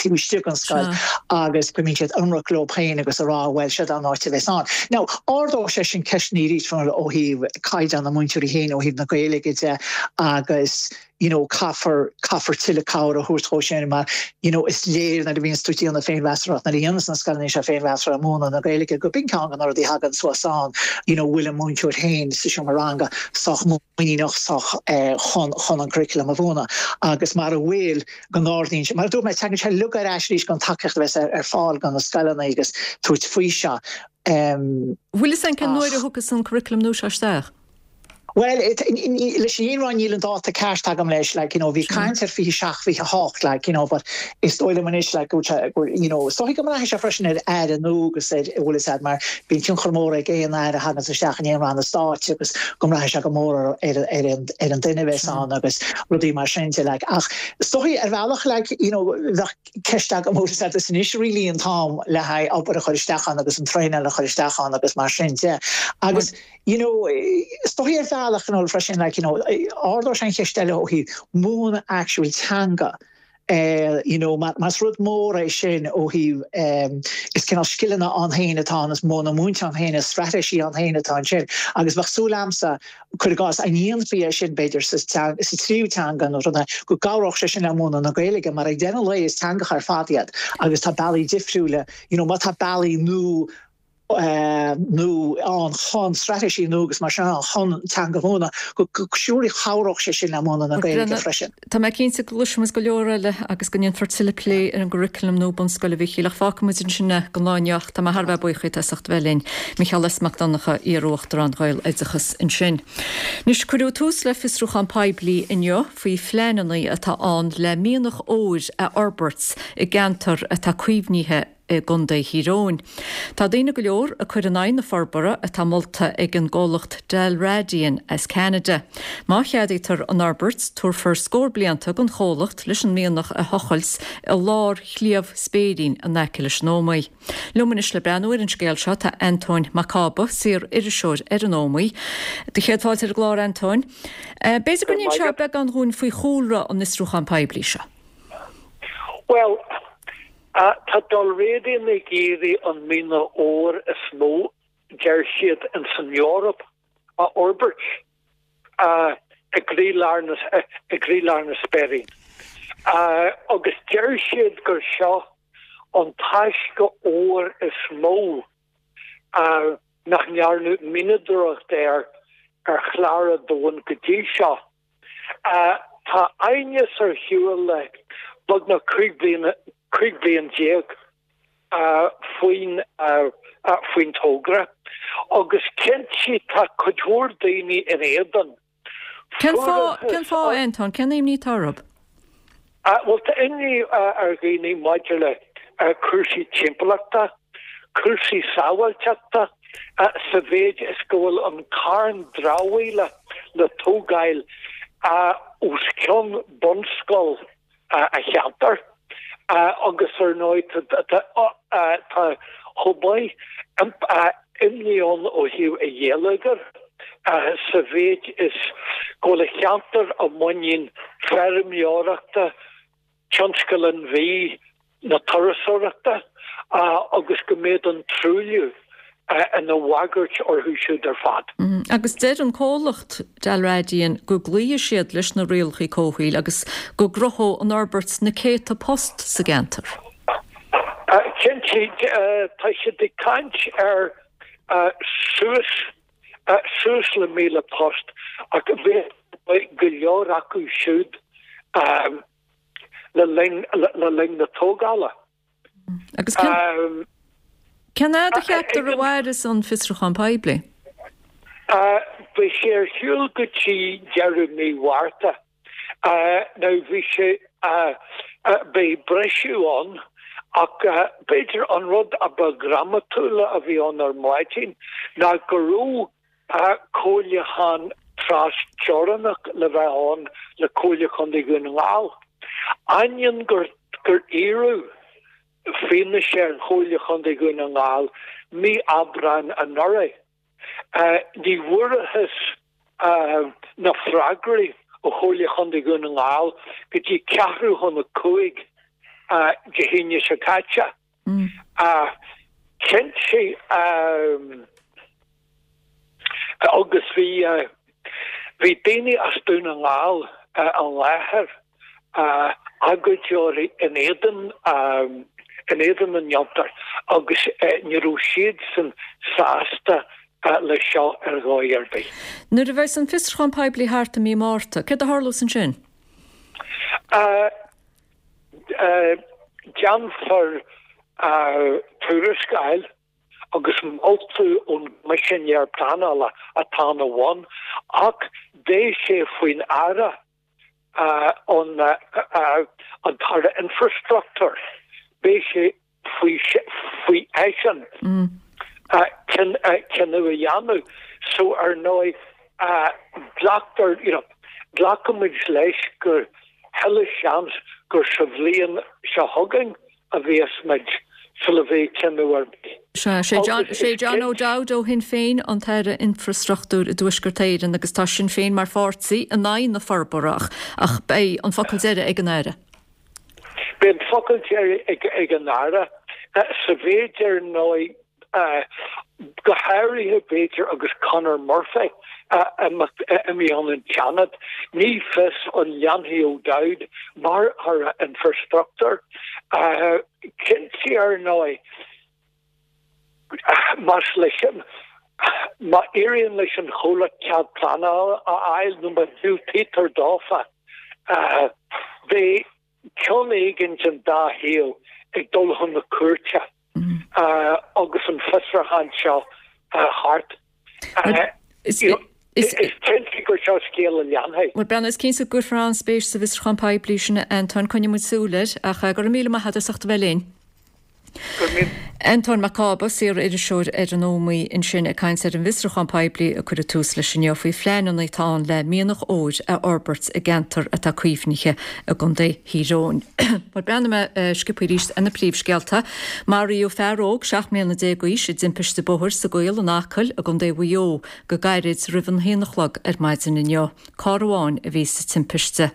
taobh istigh den scoil agus go mbíonn siad ionraic leo féin agus a rá bhuel, seo an áit a bheas ann. Now, ardóidh sé sin ceisteanna arís ó thaobh caighdeán na múinteoirí féin, ó thaobh na Gaeilge de agus you know caithfear, caithfear tuilleadh cabhair a thabhairt dhó sin mar you know is léir nuair a bhíonns tú ag déanamh féinmheastóireacht, nuair a dhéananns na scoileanna seo féinmheastóireacht ar mhúineadh na Gaeilge go b'in ceann de na rudaí a thagann suas ann you know bhfuil an múinteoir féin sa seomra ranga sách muiníneach sách eh chun, chun an curriculum a mhúineadh agus mara bhfuil go n-ardaíonn sé, mar a dúirt mé tagann sé uilig ar ais arís don tacaíocht a bheas ar, ar fáil do na scoileanna agus tabhairt faoi seo. Em. Bhfuil fhios a'inn cén uair a thiocfas an curriculum nua seo isteach? Bhuel, leis an fhírinne a rá níl an dáta ceart agam leis, like, you know, bhí caint ar 27, 28, like, you know, but is dóigh liom anois, like, go bhfuil sé, go, you know, is dóigh go mbraithfidh sé freisin ar aire nua agus ar, an bhfuil fhios a'd, mar bíonn tionchar mór ag aon aire a thaganns isteach in aon ranna stáit agus go mbraithfidh sé go mór ar, ar, ar an, ar an duine a bheas ann agus rudaí mar sin de, like. Ach is dóigh ar bhealach, like, you know, bheadh ceist agam, an bhfuil fhios a'd, is anois really an t-am le haghaidh obair a chur isteach ann agus an traenáil a chur isteach ann agus mar sin de. Agus. You know, is dóigh ar bhealach, you know, freisin, like, you know, ardóidh sé an cheist eile ó thaobh múineadh actual teanga, eh, you know, mar is rud mór é sin ó thaobh, eh, is cineál scileanna ann féin atá ann, is modhanna múinte ann féin, is straitéisí ann féin atá ansin. Agus bheadh súil a'msa, cuir i gcás, dá ndéanfaí é sin b'fhéidir sa sa tríú teanga nó rud, go gcabhródh sé sin le múineadh na Gaeilge mar ag deireadh an lae is teangacha ar fad iad agus tá bealaí difriúla, you know, má tá bealaí nua, nua ann chun straitéisí nua agus mar sin ann chun teanga a mhúineadh, go surely chabhródh sé sin le múineadh na Gaeilge freisin. Tá mé cinnte go gcloisfimid go leor eile agus go ndéanfar tuilleadh plé ar an gcurriculum nua bunscoile, a Mhíchíl, ach fágfaidh muid ansin é don lá inniu ach tá mé thar a bheith buíoch díot as ucht a bheith linn. Mícheál S. Mac Donncha, Iar-Uachtarán Ghaeloideachas ansin. Anois, cuireadh tús le fiosrúchán poiblí inniu faoi phleananna atá ann le mianach óir a fhorbairt i gceantar atá caomhnaithe i gContae Thír Eoghain. Tá daoine go leor ag cur in aghaidh na forbartha atá molta ag an gcomhlacht Dalradian as Ceanada. Má cheadaítear an fhorbairt, tabharfar scór blianta don chomhlacht leis an mianach a thochailt i lár Shliabh Spéirín in aice leis an Ómaigh. Liom anois le breathnú ar an scéal seo tá Antóin Mac Cába, saor-iriseoir ar an Ómaigh. Do chéad fáilte ar an gclár, Antóin. B'fhéidir go n-inseofá beagán dhúinn faoi chúlra an fhiosrúcháin poiblí seo. Bhuel, Tá Dalradian ag iarraidh an mianach óir is mó, deir siad, ins an Eoraip a fhorbairt i gcroílár na i gcroílár na Spéirín. Agus deir siad gur seo an taisce óir is mó nach ndearnadh mianadóireacht air ar chlár an domhain go dtí seo. Tá aighneas ar shiúl le. beagnach 15 bliana, 15 bliain faoin faoin togra agus cinnte tá cuid mhór daoine in éadan. Cén fáth, cén fáth, a Antóin, cén imní atá orthu? Bhuel tá imní ar dhaoine maidir le cúrsaí timpeallachta, cúrsaí sábháilteachta sa mhéid is go bhfuil an carn dramhaíola le tógáil os cionn bunscoil an cheantair agus ar ndóigh tá chomh maith imní ann ó thaobh an gheilleagair sa mhéid is go bhfuil an cheantar i muinín feirmeoireachta, tionscal an bhídh, na turasóireachta agus go mbeadh an truailliú ina bhagairt orthu siúd ar fad. Agus deir an comhlacht Dalradian go gcloífidh siad leis na rialacha comhshaoil agus go gcruthóidh an fhorbairt na céadta post sa gceantar. Cinnte, tá siad ag caint ar suas suas le 1,000 post ach bheadh go leor acu siúd le linn le linn na tógála. Agus cén cén fhad a cheaptar a mhairfeas an fiosrúchán poiblí? Beidh sé ar siúl go dtí deireadh mí Mhárta. Now bhí sé beidh briseadh ann ach b'fhéidir an rud a ba dhrámatúla a bhí ann ar maidin ná go raibh comhairliúchán tras-teorannach le bheith ann le Comhairle Chontae Dhún na nGall. Ainneoin gur gur iarradh fianaise ar Chomhairle Chontae Dhún na nGall mí Aibreáin anuraidh, ní bhfuarthas na freagraí ó Chomhairle Chontae Dhún na nGall go dtí ceathrú chun a 5 Dé hAoine seo caite. Cinnte, agus bhí bhí daoine as Dún na nGall i láthair, agóideoirí in éadan in éadan an fhiontair agus ní raibh siadsan sásta leis seo ar dhóigh ar bith. Nuair a bheas an fiosrúchán poiblí thart i mí Márta, céard a tharlós ansin? Déanfar tuarascáil agus moltaí ón gCoimisinéir Pleanála atá ina bhun ach beidh sé faoin Aire, an tAire Infreastruchtúir, beidh sé faoi faoi eisean cinneadh a dhéanamh. So ar ndóigh glactar, you know, glacfaimid leis gur chuile sheans gur sa bhliain seo chugainn a bheas muid sula mbeidh cinneadh ar bith. Sea, sé John, sé John O'Dowd ó Shinn Féin an tAire Infreastruchtúir i dTuaisceart Éireann agus tá Sinn Féin mar pháirtí in aghaidh na forbartha ach ach beidh an focal deiridh ag an Aire. Beidh an focal deiridh ag an Aire sa mhéid ar ndóigh, go háirithe b'fhéidir agus Conor Murphy imithe ón Seanad, ní fios an leanfaidh O'Dowd mar Aire Infreastruchtúir. Cinnte ar ndóigh, más leis an, má éiríonn leis an chomhlacht cead pleanála a fháil nó má dhiúltaítear dófa, beidh ceann éigin den dá thaobh ag dul chun na cúirte agus an fiosrúchán seo thart. Is cinnte gur seo scéal a leanfaidh. Bhuel, Breandán, is cinnte go gcuirfear an-spéis sa bhfiosrúchán poiblí sin, a Antoin. Coinneoidh muid súil air. Ach go raibh míle maith agat as ucht a bheith linn. Antóin Mac Cába, saor-iriseoir ar an Ómaigh ansin ag caint ar an bhfiosrúchán poiblí a cuireadh tús leis inniu faoi phleananna atá ann le mianach óir a fhorbairt i gceantar atá caomhnaithe i gContae Thír Eoghain. Bhuel, breathnóidh mé sciobtha arís ar na príomhscéalta. Maraíodh fear óg 17 mbliana d'aois i dtimpiste bóthair sa gCaol in Acaill i gContae Mhaigh Eo go gairid roimh an haon a chlog ar maidin inniu. Carr amháin a bhí sa timpiste.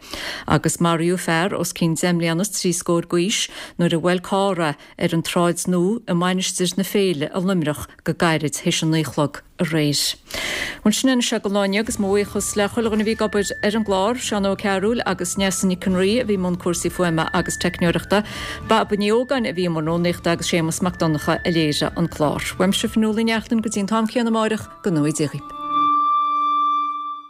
Agus maraíodh fear os cionn deich mbliana is trí scór d'aois nuair a bhuail carr é ar an tSráid Nua i Mainistir na Féile i Luimneach go gairid théis a naoi a chlog aréir. Bhuel, sin é anois é don lá inniu agus mo bhuíochas le chuile dhuine a bhí ag obair ar an gclár, Seán Ó Cearúil agus Neasa Nic an Rí a bhí i mbun cúrsaí fuaime agus teicneoireachta, Baba Ní Ógáin a bhí i mbun rúnaíochta agus Séamus Mac Donncha a léirigh an clár. Uaimse Fionnuala Ní Neachtain go dtí an t-am céanna amáireach, go ngnóthaí Dia dhaoibh.